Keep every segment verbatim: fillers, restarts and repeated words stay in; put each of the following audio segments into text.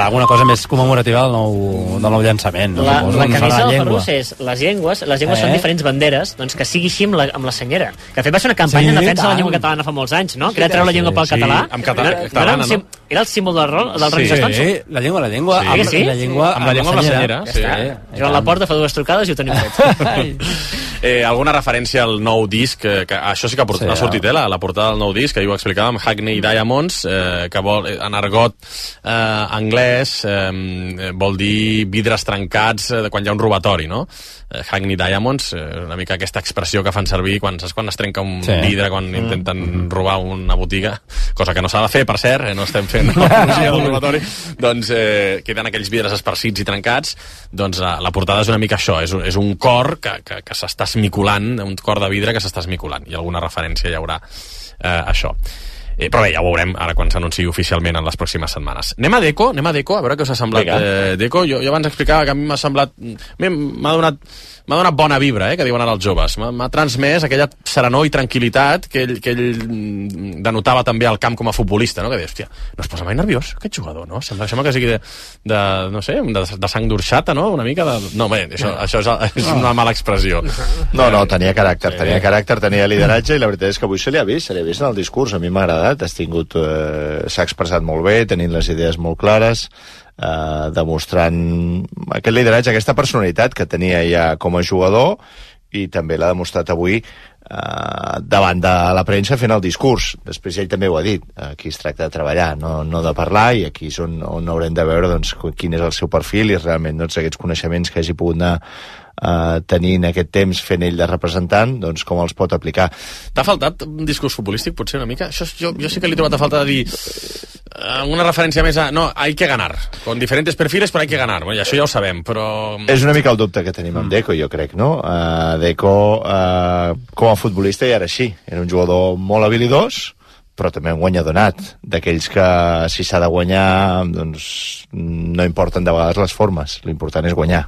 alguna cosa més commemorativa del nou, del nou llançament. No? La, la no camisa la del Ferrus és les llengües, les llengües eh? són diferents banderes, doncs que sigui així amb la, amb la senyera. Que de fet va ser una campanya sí, en defensa de la llengua catalana fa molts anys, no? Que era treure la llengua pel sí, català. Amb català, no, catalana, no? no? Era el símbol del rol, del sí, Rolling Stones. Sí, la llengua, la llengua. Sí, amb, sí? La llengua amb la llengua amb la senyera. Ja sí. està. Joan Laporta fa dues trucades i ho tenim fet. eh, alguna referència al nou disc, que, que això sí que ha, portat, sí, ha sortit, eh, la, la portada del nou disc, que ahir ho explicàvem, Hackney Diamonds, eh, que vol, en argot eh, anglès, eh, vol dir vidres trencats eh, quan hi ha un robatori, no? Eh, Hackney Diamonds, eh, una mica aquesta expressió que fan servir quan, saps, quan es trenca un sí. vidre, quan mm. intenten robar una botiga, cosa que no s'ha de fer, per cert, eh, no estem fent l'apologia del robatori, doncs eh, queden aquells vidres esparcits i trencats, doncs la, la portada és una mica això, és, és un cor que, que, que s'està esmiculant, un cor de vidre que s'està esmiculant, i alguna referència hi haurà eh, això. Eh, però bé, ja ho veurem ara quan s'anunciï oficialment en les pròximes setmanes. Anem a Deco, anem a Deco, a veure què us ha semblat eh, Deco. Jo, jo abans explicava que a mi m'ha semblat... M'ha donat, m'ha donat bona vibra, eh, que diuen ara els joves. M'ha transmès aquella serenor i tranquil·litat que ell, que ell denotava també al camp com a futbolista, no? Que deia, hòstia, no es posa mai nerviós aquest jugador, no? Sembla, sembla que sigui de, de no sé, de, de sang d'orxata, no? Una mica de... No, bé, això, això és, és una mala expressió. No, no, tenia caràcter, tenia caràcter, tenia lideratge, i la veritat és que avui se li ha vist, se li ha vist en el discurs. A mi m'ha agradat, has tingut, eh, s'ha expressat molt bé, tenint les idees molt clares, eh, demostrant aquest lideratge, aquesta personalitat que tenia ja com a jugador, i també l'ha demostrat avui eh, davant de la premsa fent el discurs. Després ell també ho ha dit, aquí es tracta de treballar, no, no de parlar, i aquí és on, on haurem de veure doncs, quin és el seu perfil i realment doncs, aquests coneixements que hagi pogut anar Uh, tenint aquest temps fent ell de representant, doncs com els pot aplicar. T'ha faltat un discurs futbolístic, potser una mica? Això, jo, jo sí que li he trobat a falta de dir uh, una referència més a... No, hay que ganar. Con diferentes perfiles, però hay que ganar. Bueno, això ja ho sabem, però... És una mica el dubte que tenim amb Deco, jo crec, no? Uh, Deco, uh, com a futbolista, ja era així. Era un jugador molt habilidós, però també un guanyador nat, d'aquells que si s'ha de guanyar doncs no importen de vegades les formes, l'important és guanyar,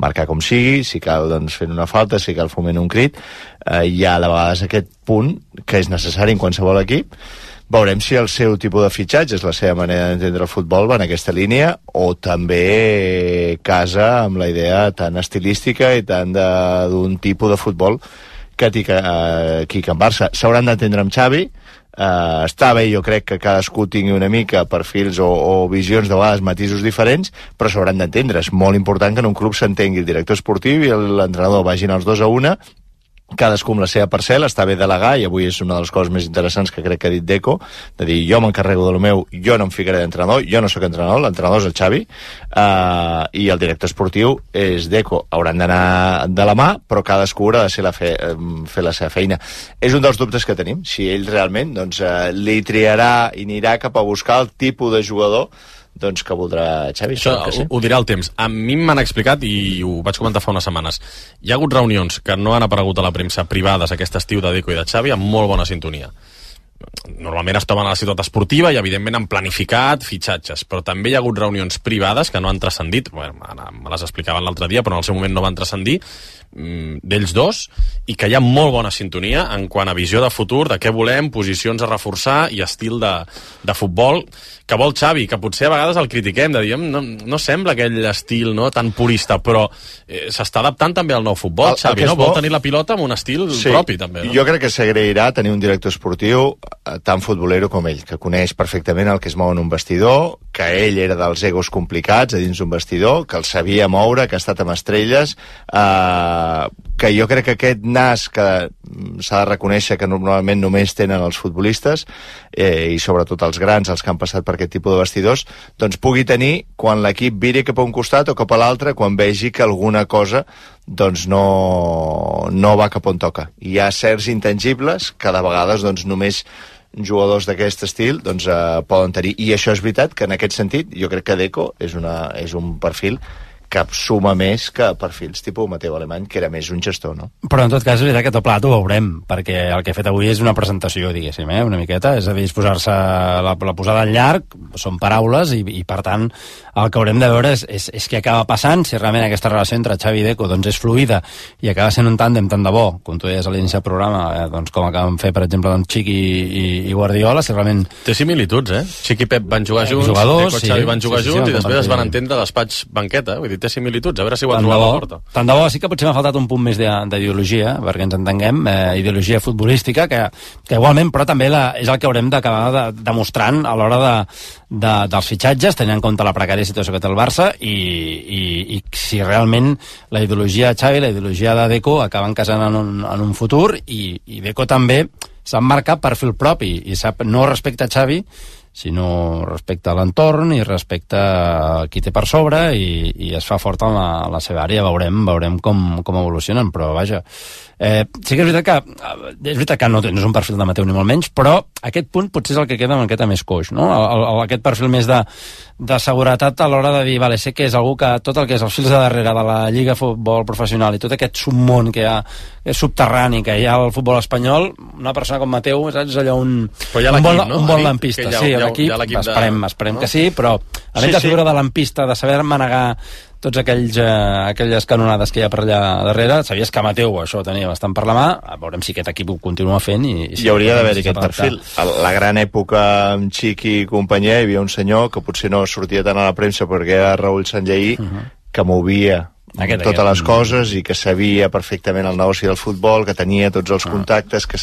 marcar com sigui, si cal doncs fent una falta, si cal foment un crit, eh, hi ha de vegades aquest punt que és necessari en qualsevol equip. Veurem si el seu tipus de fitxatge, és la seva manera d'entendre el futbol, va en aquesta línia, o també casa amb la idea tan estilística i tan d'un tipus de futbol que té aquí a Can Barça. S'hauran d'entendre amb Xavi. Uh, està bé, jo crec que cadascú tingui una mica perfils o, o visions de vegades, matisos diferents, però s'hauran d'entendre. És molt important que en un club s'entengui el director esportiu i l'entrenador vagin els dos a una, cadascú amb la seva parcel·la. Està bé delegar, i avui és una de les coses més interessants que crec que ha dit Deco, de dir, jo m'encarrego de lo meu, jo no em ficaré d'entrenador, jo no sóc entrenador, l'entrenador és el Xavi, uh, i el director esportiu és Deco. Hauran d'anar de la mà, però cadascú haurà de ser la fe, fer la seva feina. És un dels dubtes que tenim, si ell realment doncs, uh, li triarà i anirà cap a buscar el tipus de jugador doncs que voldrà Xavi. Això que sí. ho, ho dirà el temps. A mi m'han explicat, i ho vaig comentar fa unes setmanes, hi ha hagut reunions que no han aparegut a la premsa privades aquest estiu de Deco i de Xavi amb molt bona sintonia. Normalment es troben a la ciutat esportiva i evidentment han planificat fitxatges, però també hi ha hagut reunions privades que no han transcendit, bueno, me les explicaven l'altre dia, però en el seu moment no van transcendir, d'ells dos, i que hi ha molt bona sintonia en quant a visió de futur, de què volem, posicions a reforçar i estil de, de futbol que vol Xavi, que potser a vegades el critiquem, de dir, no, no sembla aquell estil no, tan purista, però eh, s'està adaptant també al nou futbol, el, Xavi, no? Vol bo... tenir la pilota amb un estil sí, propi, també. No? Jo crec que s'agrairà tenir un director esportiu tan futbolero com ell, que coneix perfectament el que es mou en un vestidor, que ell era dels egos complicats a dins d'un vestidor, que el sabia moure, que ha estat amb estrelles, eh, que jo crec que aquest nas que s'ha de reconèixer que normalment només tenen els futbolistes, eh, i sobretot els grans, els que han passat per aquest tipus de vestidors, doncs pugui tenir quan l'equip viri cap a un costat o cap a l'altre, quan vegi que alguna cosa doncs no, no va cap on toca. Hi ha certs intangibles que de vegades doncs només jugadors d'aquest estil doncs, eh, poden tenir, i això és veritat que en aquest sentit jo crec que Deco és, una, és un perfil que suma més que perfils tipus Mateu Alemany, que era més un gestor, no? Però en tot cas és veritat que tot plat ho veurem, perquè el que he fet avui és una presentació, diguéssim, eh? una miqueta, és a dir, és posar-se la, la posada en llarg, són paraules, i, i per tant el que haurem de veure és, és, és què acaba passant, si realment aquesta relació entre Xavi i Deco doncs, és fluida i acaba sent un tàndem tant de bo, com tu deies a l'inici del programa, eh? doncs, com acaben fer, per exemple, doncs, Xiqui i, i Guardiola, si realment... Té similituds, eh? Xiqui i Pep van jugar junts, jugadors, Deco i Xavi sí, van jugar sí, sí, junts, sí, i després es van sí. entendre despatx banqueta, vull dir, té similituds, a veure si ho han Tant trobat de a bo, la porta. tant de bo, sí que potser m'ha faltat un punt més d'ideologia, perquè ens entenguem, eh, ideologia futbolística, que, que igualment, però també la, és el que haurem d'acabar de, demostrant a l'hora de, de, dels fitxatges, tenint en compte la precària situació que té el Barça, i, i, i si realment la ideologia de Xavi, la ideologia de Deco acaben casant en un, en un futur, i, i Deco també s'ha marcat perfil propi, i sap, no respecte a Xavi, sinó respecte a l'entorn i respecte a qui té per sobre, i, i es fa fort en la, en la seva àrea. Veurem, veurem com, com evolucionen, però vaja, eh, sí que és veritat que és veritat que no, no és un perfil de Mateu ni molt menys, però aquest punt potser és el que queda una miqueta més coix, no? El, el, aquest perfil més de, de seguretat a l'hora de dir, vale, sé que és algú que tot el que és els fils de darrere de la Lliga Futbol Professional i tot aquest submón que hi ha, és subterrani, que hi ha al futbol espanyol, una persona com Mateu, saps, allò un, un bon, no? un bon lampista, ja, sí, ja, l'equip, ja esperem, de... esperem no? que sí, però a Sí, més de sí. figura de lampista, de saber manegar tots aquells, eh, aquelles canonades que hi ha per allà darrere, sabies que Mateu això ho tenia bastant per la mà, veurem si aquest equip ho continua fent. I, i si hi hauria d'haver si aquest s'adapta. perfil. A la gran època amb Xiqui i companyia hi havia un senyor que potser no sortia tant a la premsa perquè era Raül Sanlleí, uh -huh. que movia Aquest, totes aquest. les coses i que sabia perfectament el negoci del futbol, que tenia tots els contactes, que,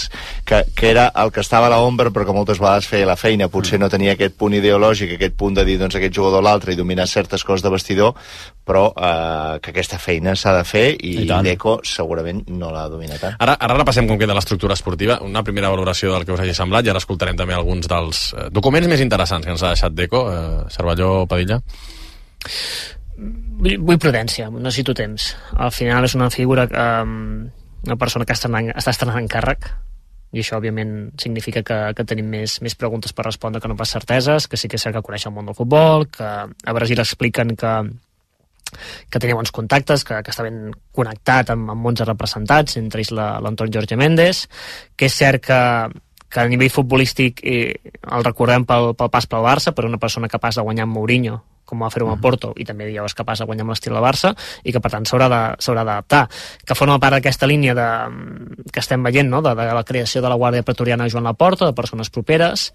que, que era el que estava a l'ombra però que moltes vegades feia la feina. Potser no tenia aquest punt ideològic, aquest punt de dir doncs, aquest jugador o l'altre i dominar certes coses de vestidor, però eh, que aquesta feina s'ha de fer, i, I i Deco segurament no l'ha dominat tant. Ara, ara repassem com queda l'estructura esportiva, una primera valoració del que us hagi semblat, i ara escoltarem també alguns dels eh, documents més interessants que ens ha deixat Deco. eh, Cervelló, Padilla. Vull prudència, no necessito temps. Al final és una figura, um, una persona que està estrenant, està estrenant encàrrec, i això òbviament significa que, que tenim més, més preguntes per respondre que no pas certeses, que sí que és cert que coneix el món del futbol, que a Brasil expliquen que que tenia bons contactes, que, que està ben connectat amb, amb bons representats, entre ells l'entorn Jorge Méndez, que és cert que que a nivell futbolístic eh, el recordem pel, pel pas pel Barça, per una persona capaç de guanyar amb Mourinho, com va fer-ho amb el Porto, i també ja és capaç de guanyar amb l'estil de Barça, i que per tant s'haurà d'adaptar, que forma part d'aquesta línia de, que estem veient, no? de, de la creació de la Guàrdia Pretoriana de Joan Laporta, de persones properes.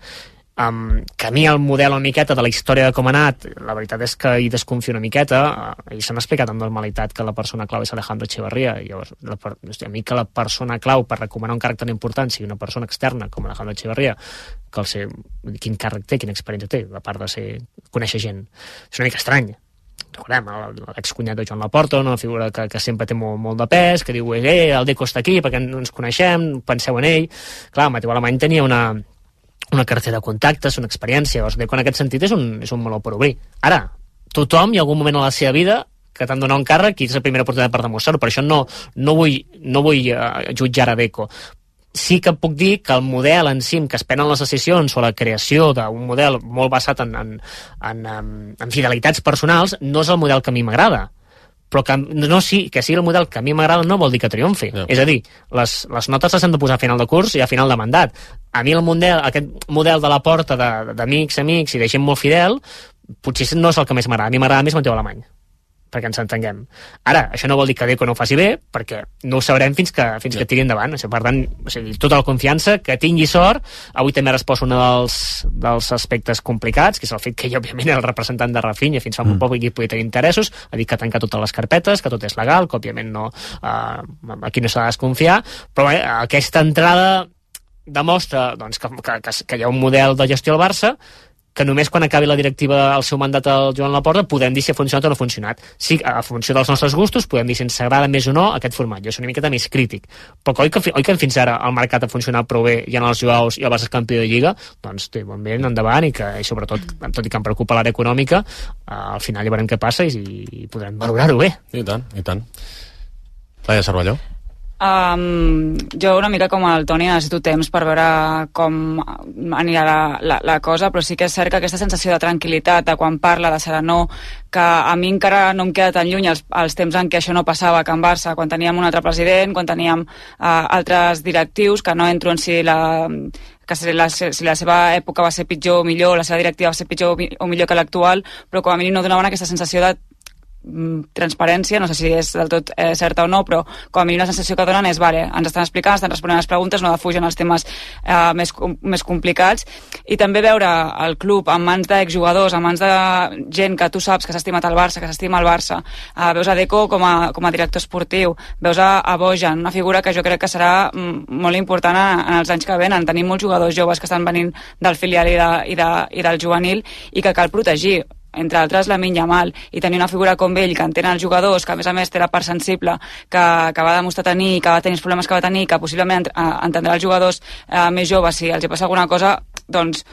Um, que a mi el model una miqueta de la història de com ha anat, la veritat és que hi desconfio una miqueta, uh, i s'han explicat amb normalitat que la persona clau és Alejandro Echeverría, i llavors la, a mi que la persona clau per recomanar un càrrec tan important sigui una persona externa com Alejandro Echeverría, que el sé, quin càrrec té, quina experiència té, a part de ser, conèixer gent, és una mica estrany. Recordem, l'excunyat de Joan Laporta, una figura que, que sempre té molt, molt de pes, que diu, eh, el Deco està aquí perquè no ens coneixem, penseu en ell. Clar, Mateu Alemany tenia una una cartera de contactes, una experiència, llavors Deco en aquest sentit és un, és un meló per obrir. Ara, tothom hi ha algun moment a la seva vida que t'han donat un càrrec i és la primera oportunitat per demostrar-ho, per això no, no vull, no vull uh, jutjar a Deco. Sí que puc dir que el model en si que es prenen les decisions o la creació d'un model molt basat en, en, en, en, en fidelitats personals no és el model que a mi m'agrada, però que, no, sí, que sigui el model que a mi m'agrada no vol dir que triomfi. Yeah. És a dir, les, les notes les hem de posar a final de curs i a final de mandat. A mi el model, aquest model de la porta d'amics, amics i de gent molt fidel, potser no és el que més m'agrada. A mi m'agrada més Mateu Alemany, perquè ens entenguem. Ara, això no vol dir que Deco no ho faci bé, perquè no ho sabrem fins que, fins que tiri endavant. O sigui, per tant, o sigui, tota la confiança, que tingui sort. Avui també ha respost un dels, dels aspectes complicats, que és el fet que ell, òbviament, era el representant de Rafinha fins fa molt poc i podia tenir interessos, ha dit que ha tancat totes les carpetes, que tot és legal, que òbviament no, eh, aquí no s'ha de desconfiar, però bé, aquesta entrada demostra doncs, que, que, que hi ha un model de gestió al Barça que només quan acabi la directiva el seu mandat al Joan Laporta podem dir si ha funcionat o no ha funcionat. Sí, a funció dels nostres gustos podem dir si ens agrada més o no aquest format. Jo soc una miqueta més crític. Però oi que, oi que fins ara el mercat ha funcionat prou bé, hi ha els jugadors i el Barça és campió de Lliga, doncs té bon vent endavant i que, i sobretot, tot i que em preocupa l'àrea econòmica, eh, al final ja veurem què passa i, i podrem valorar-ho bé. I tant, i tant. Laia Cervelló. Um, jo una mica com el Toni necessito temps per veure com anirà la, la, la cosa, però sí que és cert que aquesta sensació de tranquil·litat, de quan parla, de serenor, que a mi encara no em queda tan lluny els, els temps en què això no passava a Can Barça, quan teníem un altre president, quan teníem uh, altres directius, que no entro en si la, que si la, si la seva època va ser pitjor o millor, la seva directiva va ser pitjor o millor que l'actual, però com a mínim no donaven aquesta sensació de transparència, no sé si és del tot eh, certa o no, però com a mínim la sensació que donen és, vale, ens estan explicant, estan responent les preguntes, no defugen els temes eh, més, més complicats, i també veure el club en mans d'exjugadors, en mans de gent que tu saps que s'ha estimat el Barça, que s'estima el Barça, eh, veus a Deco com a, com a director esportiu, veus a, a Bojan, una figura que jo crec que serà mm, molt important en, en els anys que venen. Tenim molts jugadors joves que estan venint del filial i, de, i, de, i del juvenil i que cal protegir, entre altres Lamine Yamal, i tenir una figura com ell que entén els jugadors, que a més a més té la part sensible que, que va demostrar tenir, que va tenir els problemes que va tenir, que possiblement entendrà els jugadors eh, més joves si els hi passa alguna cosa, doncs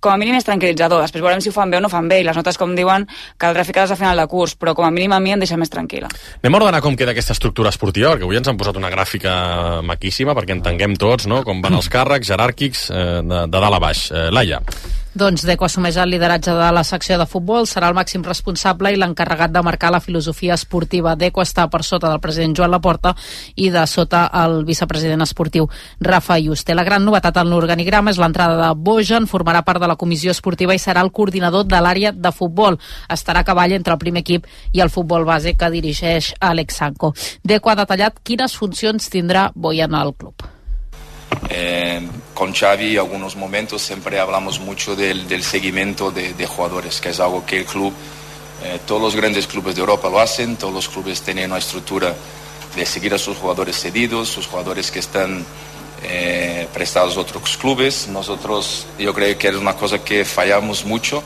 com a mínim és tranquil·litzador. Després veurem si ho fan bé o no fan bé, i les notes, com diuen, caldrà ficar-les a final de curs, però com a mínim a mi em deixa més tranquil·la. Anem a ordenar com queda aquesta estructura esportiva, perquè avui ens han posat una gràfica maquíssima perquè entenguem tots, no?, com van els càrrecs jeràrquics eh, de, de dalt a baix. Eh, Laia. Doncs Deco assumeix el lideratge de la secció de futbol, serà el màxim responsable i l'encarregat de marcar la filosofia esportiva. Deco està per sota del president Joan Laporta i de sota el vicepresident esportiu Rafa Yuste. La gran novetat en l'organigrama és l'entrada de Bojan, formarà part de la comissió esportiva i serà el coordinador de l'àrea de futbol. Estarà a cavall entre el primer equip i el futbol base que dirigeix Alex Sanko. Deco ha detallat quines funcions tindrà Bojan al club. Eh, con Xavi algunos momentos siempre hablamos mucho del, del seguimiento de, de jugadores, que es algo que el club, eh, todos los grandes clubes de Europa lo hacen, todos los clubes tienen una estructura de seguir a sus jugadores cedidos, sus jugadores que están eh, prestados a otros clubes. Nosotros, yo creo que es una cosa que fallamos mucho,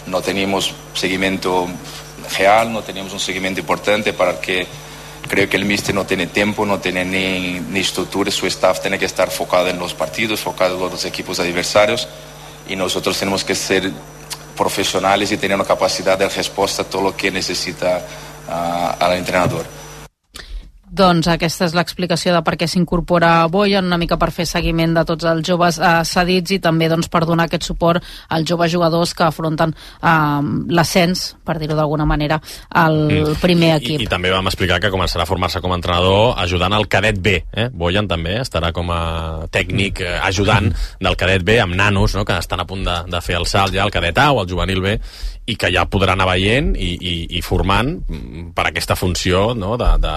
no teníamos seguimiento real, no teníamos un seguimiento importante para que creo que el míster no tiene tiempo, no tiene ni, ni estructura, su staff tiene que estar enfocado en los partidos, enfocado en los equipos adversarios, y nosotros tenemos que ser profesionales y tener una capacidad de respuesta a todo lo que necesita uh, al entrenador. Doncs aquesta és l'explicació de per què s'incorpora Bojan, una mica per fer seguiment de tots els joves eh, cedits i també doncs, per donar aquest suport als joves jugadors que afronten eh, l'ascens, per dir-ho d'alguna manera, al mm. primer equip. I, I també vam explicar que començarà a formar-se com a entrenador ajudant al cadet B. Eh? Bojan també estarà com a tècnic eh, ajudant del cadet B amb nanos, no?, que estan a punt de, de fer el salt ja al cadet A o al juvenil B, i que ja podrà anar veient i, i, i formant per aquesta funció, no?, de, de,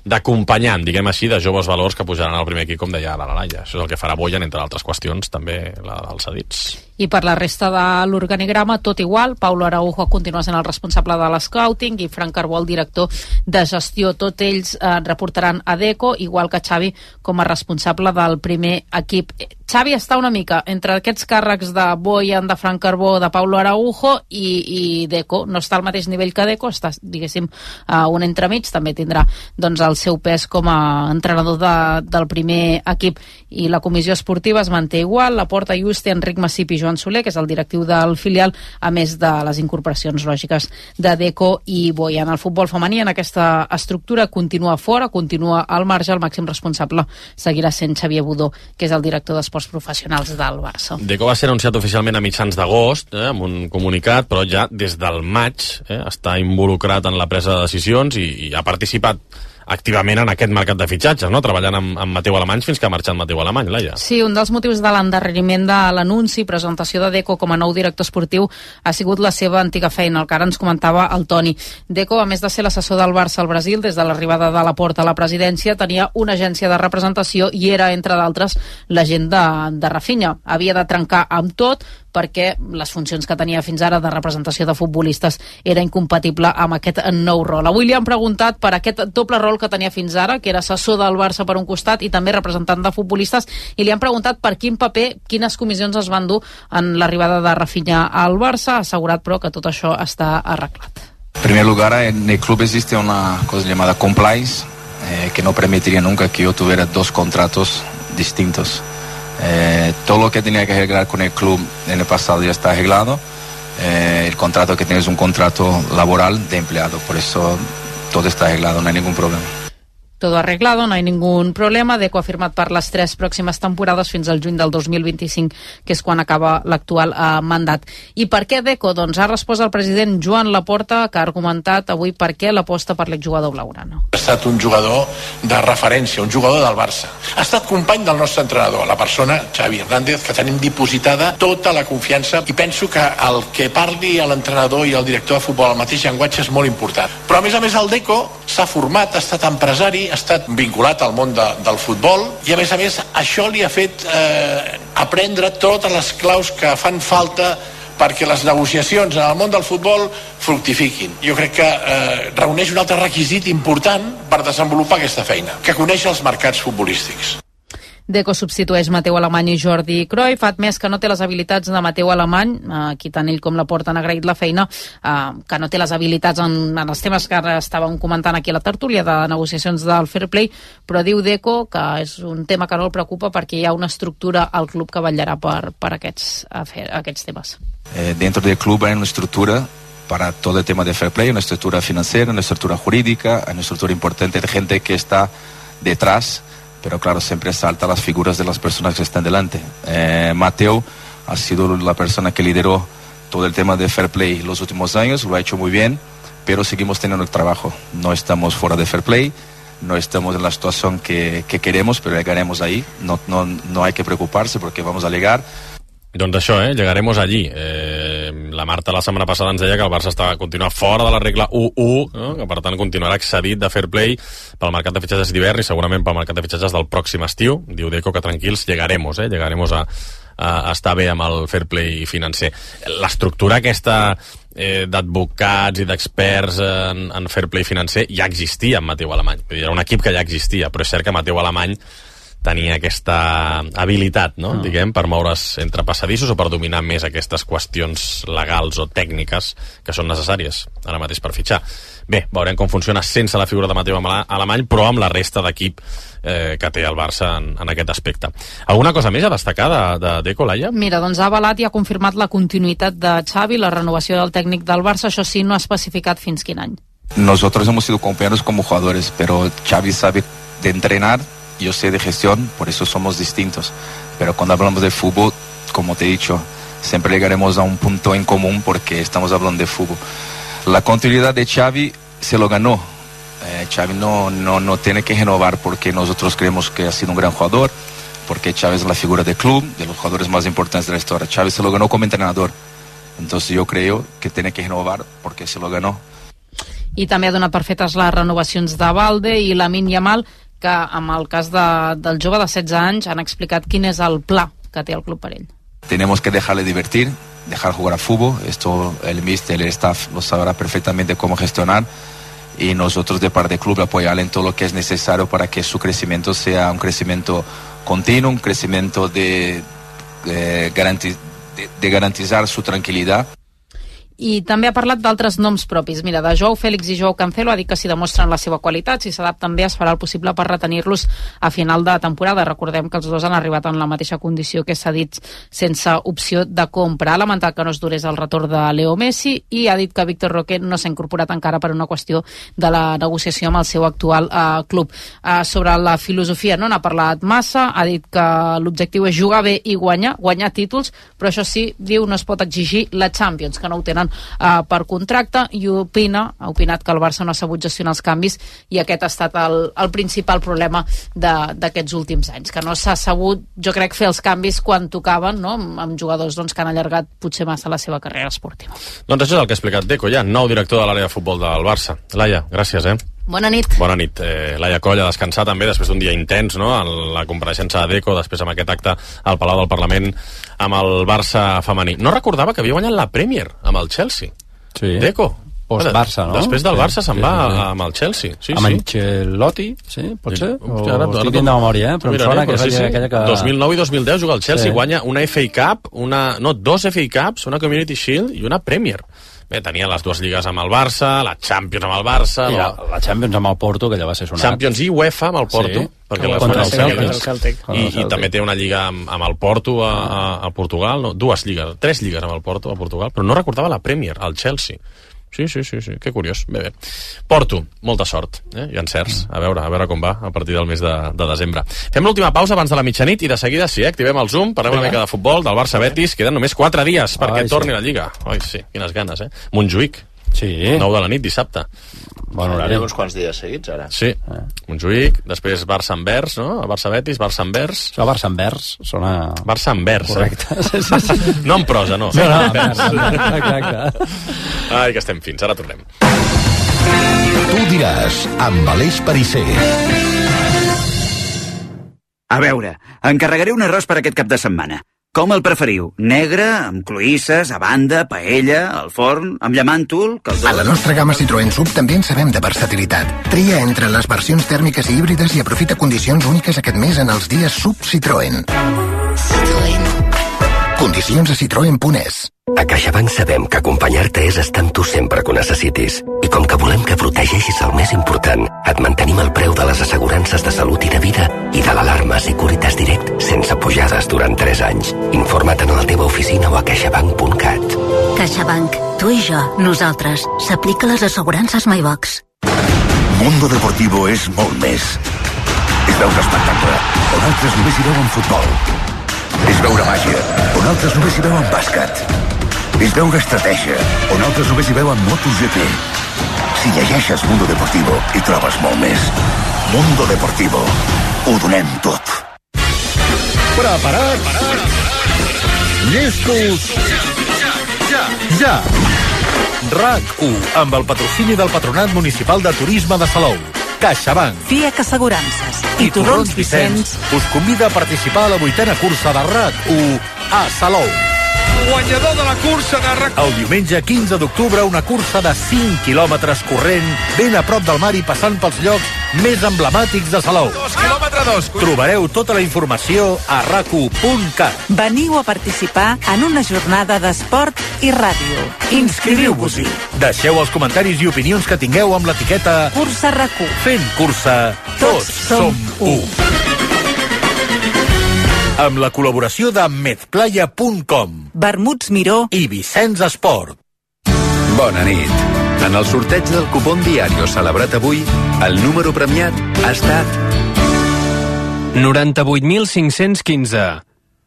d'acompanyant, diguem així, de joves valors que pujaran al primer equip, com deia la Laia. Això és el que farà Bojan, entre altres qüestions, també la dels cedits. I per la resta de l'organigrama, tot igual, Paulo Araujo continua sent el responsable de l'scouting i Frank Carbó el director de gestió. Tots ells eh, reportaran a Deco, igual que Xavi com a responsable del primer equip. Xavi està una mica entre aquests càrrecs de Bojan, de Frank Carbó, de Paulo Araujo i, i Deco. No està al mateix nivell que Deco, està, diguéssim, a un entremig. També tindrà doncs, el seu pes com a entrenador de, del primer equip. I la comissió esportiva es manté igual, Laporta, Yuste, Enric Massip i Joan Soler, que és el directiu del filial, a més de les incorporacions lògiques de Deco i Bojan. El futbol femení en aquesta estructura continua fora, continua al marge. El màxim responsable seguirà sent Xavier Budó, que és el director d'esports professionals del Barça. Deco va ser anunciat oficialment a mitjans d'agost, eh, amb un comunicat, però ja des del maig eh, està involucrat en la presa de decisions i, i ha participat activament en aquest mercat de fitxatges, no?, treballant amb, amb Mateu Alemany fins que ha marxat Mateu Alemany, Laia. Sí, un dels motius de l'endarreriment de l'anunci i presentació de Deco com a nou director esportiu ha sigut la seva antiga feina, el que ara ens comentava el Toni. Deco, a més de ser l'assessor del Barça al Brasil, des de l'arribada de Laporta a la presidència, tenia una agència de representació i era, entre d'altres, l'agent de, de Rafinha. Havia de trencar amb tot perquè les funcions que tenia fins ara de representació de futbolistes era incompatible amb aquest nou rol. Avui li han preguntat per aquest doble rol que tenia fins ara, que era assessor del Barça per un costat i també representant de futbolistes, i li han preguntat per quin paper, quines comissions es van dur en l'arribada de Rafinha al Barça. Ha assegurat, però, que tot això està arreglat. En primer lugar, en el club existe una cosa llamada compliance, eh, que no permitiría nunca que yo tuviera dos contratos distintos. Eh, todo lo que tenía que arreglar con el club en el pasado ya está arreglado. Eh, el contrato que tienes es un contrato laboral de empleado, por eso todo está arreglado, no hay ningún problema. todo arreglado, no hay ningún problema. Deco ha firmat per les tres pròximes temporades fins al juny del dos mil vint-i-cinc, que és quan acaba l'actual eh, mandat. I per què Deco? Doncs ha respost el president Joan Laporta, que ha argumentat avui per què l'aposta per l'exjugador blaugrana. Ha estat un jugador de referència, un jugador del Barça. Ha estat company del nostre entrenador, la persona Xavi Hernández, que tenim dipositada tota la confiança, i penso que el que parli l'entrenador i el director de futbol al mateix llenguatge és molt important. Però a més a més el Deco s'ha format, ha estat empresari, ha estat vinculat al món de, del futbol, i a més a més això li ha fet eh, aprendre totes les claus que fan falta perquè les negociacions en el món del futbol fructifiquin. Jo crec que eh, reuneix un altre requisit important per desenvolupar aquesta feina, que coneix els mercats futbolístics. Deco substitueix Mateu Alemany i Jordi Cruyff. Fa admès que no té les habilitats de Mateu Alemany, aquí tant ell com Laporta han agraït la feina, que no té les habilitats en, en els temes que ara estàvem comentant aquí a la tertúlia de negociacions del Fair Play, però diu Deco que és un tema que no el preocupa perquè hi ha una estructura al club que vetllarà per, per aquests, aquests temes. Eh, dentro del club hay una estructura para todo el tema de Fair Play, una estructura financiera, una estructura jurídica, una estructura importante de gente que está detrás, pero claro, siempre salta las figuras de las personas que están delante. Eh, Mateo ha sido la persona que lideró todo el tema de Fair Play los últimos años, lo ha hecho muy bien, pero seguimos teniendo el trabajo. No estamos fuera de Fair Play, no estamos en la situación que, que queremos, pero llegaremos ahí. No, no, no hay que preocuparse porque vamos a llegar. Doncs això, eh? Llegaremos allí. Eh, la Marta la setmana passada ens deia que el Barça estava continuant fora de la regla u u, no? Que per tant continuarà excedit de Fair Play pel mercat de fitxatges d'hivern i segurament pel mercat de fitxatges del pròxim estiu. Diu Deco que tranquils, llegaremos, eh? Llegaremos a, a estar bé amb el Fair Play financer. L'estructura aquesta eh, d'advocats i d'experts en, en Fair Play financer ja existia en Mateu Alemany. Era un equip que ja existia, però és cert que Mateu Alemany tenia aquesta habilitat, no? Mm. diguem, per moure's entre passadissos o per dominar més aquestes qüestions legals o tècniques que són necessàries ara mateix per fitxar. Bé, veurem com funciona sense la figura de Mateu Alemany, però amb la resta d'equip eh, que té el Barça en, en aquest aspecte. Alguna cosa més a destacar de, de Deco, Laia? Mira, doncs ha avalat i ha confirmat la continuïtat de Xavi, la renovació del tècnic del Barça, això sí, no ha especificat fins quin any. Nosotros hemos sido compañeros como jugadores, pero Xavi sabe de entrenar, yo sé de gestión, por eso somos distintos. Pero cuando hablamos de fútbol, como te he dicho, siempre llegaremos a un punto en común porque estamos hablando de fútbol. La continuidad de Xavi se lo ganó. Eh, Xavi no, no, no tiene que renovar porque nosotros creemos que ha sido un gran jugador, porque Xavi es la figura del club, de los jugadores más importantes de la historia. Xavi se lo ganó como entrenador. Entonces yo creo que tiene que renovar porque se lo ganó. I també ha donat per fetes les renovacions de Balde i Lamine Yamal, que amb el cas de, del jove de setze anys han explicat quin és el pla que té el club per ell. Tenemos que dejarle divertir, dejar jugar a fútbol. Esto el míster, el staff lo sabrá perfectamente cómo gestionar, y nosotros de parte del club apoyarle en todo lo que es necesario para que su crecimiento sea un crecimiento continuo, un crecimiento de, de, garanti, de, de garantizar su tranquilidad. I també ha parlat d'altres noms propis. Mira, de Joao Félix i Joao Cancelo ha dit que si demostren la seva qualitat, si s'adapten bé, es farà el possible per retenir-los a final de temporada. Recordem que els dos han arribat en la mateixa condició que s'ha dit, sense opció de compra. Ha lamentat que no es durés el retorn de Leo Messi i ha dit que Víctor Roque no s'ha incorporat encara per una qüestió de la negociació amb el seu actual eh, club. Eh, sobre la filosofia no n'ha parlat massa, ha dit que l'objectiu és jugar bé i guanyar, guanyar títols, però això sí, diu, no es pot exigir la Champions, que no ho tenen Uh, per contracte, i opina, ha opinat que el Barça no ha sabut gestionar els canvis, i aquest ha estat el, el principal problema d'aquests últims anys, que no s'ha sabut, jo crec, fer els canvis quan tocaven, no? amb, amb jugadors doncs, que han allargat potser massa la seva carrera esportiva. Doncs això és el que ha explicat Deco, ja, nou director de l'àrea de futbol del Barça. Laia, gràcies, eh? Bona nit. Bona nit. Eh, Laia Coll a descansar també després d'un dia intens, no? En la compareixença de Deco, després amb aquest acte al Palau del Parlament amb el Barça femení. No recordava que havia guanyat la Premier amb el Chelsea. Sí. Deco. Post-Barça, no? Després del Barça sí, se'n sí, va sí. amb el Chelsea. Sí, amb sí. Ancelotti, sí, pot ser? O Hòstia, ara, estic dient de memòria, eh? Però em sona que és sí, sí. aquella que... dos mil nou i dos mil deu juga al Chelsea, sí. Guanya una F A Cup, una... no, dos F A Cups, una Community Shield i una Premier. Bé, tenia les dues lligues amb el Barça, la Champions amb el Barça... I la, la Champions amb el Porto, que ja va ser sonat. Champions i UEFA amb el Porto. Sí. Perquè el contra el Celtic. el Celtic. I, I també té una lliga amb, amb el Porto a, a, a Portugal, no, dues lligues, tres lligues amb el Porto a Portugal, però no recordava la Premier, el Chelsea. Sí, sí, sí, sí, que curiós. Bé, bé. Porto, molta sort, eh? I encerts. A veure, a veure com va a partir del mes de, de desembre. Fem l'última pausa abans de la mitjanit i de seguida sí, eh? Activem el Zoom, parlem una mica de futbol, del Barça-Betis. Queden només quatre dies perquè Ai, torni sí. la Lliga. Ai, sí, quines ganes, eh? Montjuïc. Sí. nou de la nit, dissabte. Bon horari. Uns quants dies seguits, ara. Sí. Eh. Montjuïc, després Barça-Anvers, no? Barça-Betis, Barça-Anvers. Això Barça-Anvers sona... Barça-Anvers, correcte. Eh? No en prosa, no. No, no, exacte. Ai, que estem fins, ara tornem. Tu diràs, amb Aleix Perisser. A veure, encarregaré un arròs per aquest cap de setmana. Com el preferiu? Negre, amb cloïsses, a banda, paella, al forn, amb llamàntol, caldós... A la nostra gamma Citroën Sub també en sabem de versatilitat. Tria entre les versions tèrmiques i híbrides i aprofita condicions úniques aquest mes en els dies Sub Citroën. Citroën. Condicions a citroen punt es. A CaixaBank sabem que acompanyar-te és estar amb tu sempre que ho necessitis. I com que volem que protegeixis el més important, et mantenim el preu de les assegurances de salut i de vida i de l'alarma Securitas Direct sense pujades durant tres anys. Informa't a la teva oficina o a caixabank punt cat. CaixaBank. Tu i jo, nosaltres. S'aplica les assegurances MyBox. Mundo Deportivo és molt més. És veure espectacle, on altres només hi veuen futbol. És veure màgia, on altres només hi veuen bàsquet. És veure estratègia, on altres només hi veuen MotoGP. Si llegeixes Mundo Deportivo, hi trobes molt més. Mundo Deportivo. Ho donem tot. Preparats? Llestos? Ja! Ja! RAC u, amb el patrocini del Patronat Municipal de Turisme de Salou. CaixaBank. Fiac Assegurances i Torrons Vicenç us convida a participar a la vuitena cursa de RAC u a Salou. Guanyador de la cursa de RAC u. El diumenge quinze d'octubre, una cursa de cinc quilòmetres corrent, ben a prop del mar i passant pels llocs més emblemàtics de Salou. Dos quilòmetres dos. Trobareu tota la informació a rac u punt cat. Veniu a participar en una jornada d'esport i ràdio. Inscriviu-vos-hi. Deixeu els comentaris i opinions que tingueu amb l'etiqueta Cursa RAC u. Fent cursa, tots, tots som u. Amb la col·laboració de medplaya punt com, Vermuts Miró i Vicenç Esport. Bona nit. En el sorteig del cupón Diario celebrat avui, el número premiat ha estat noranta-vuit mil cinc-cents quinze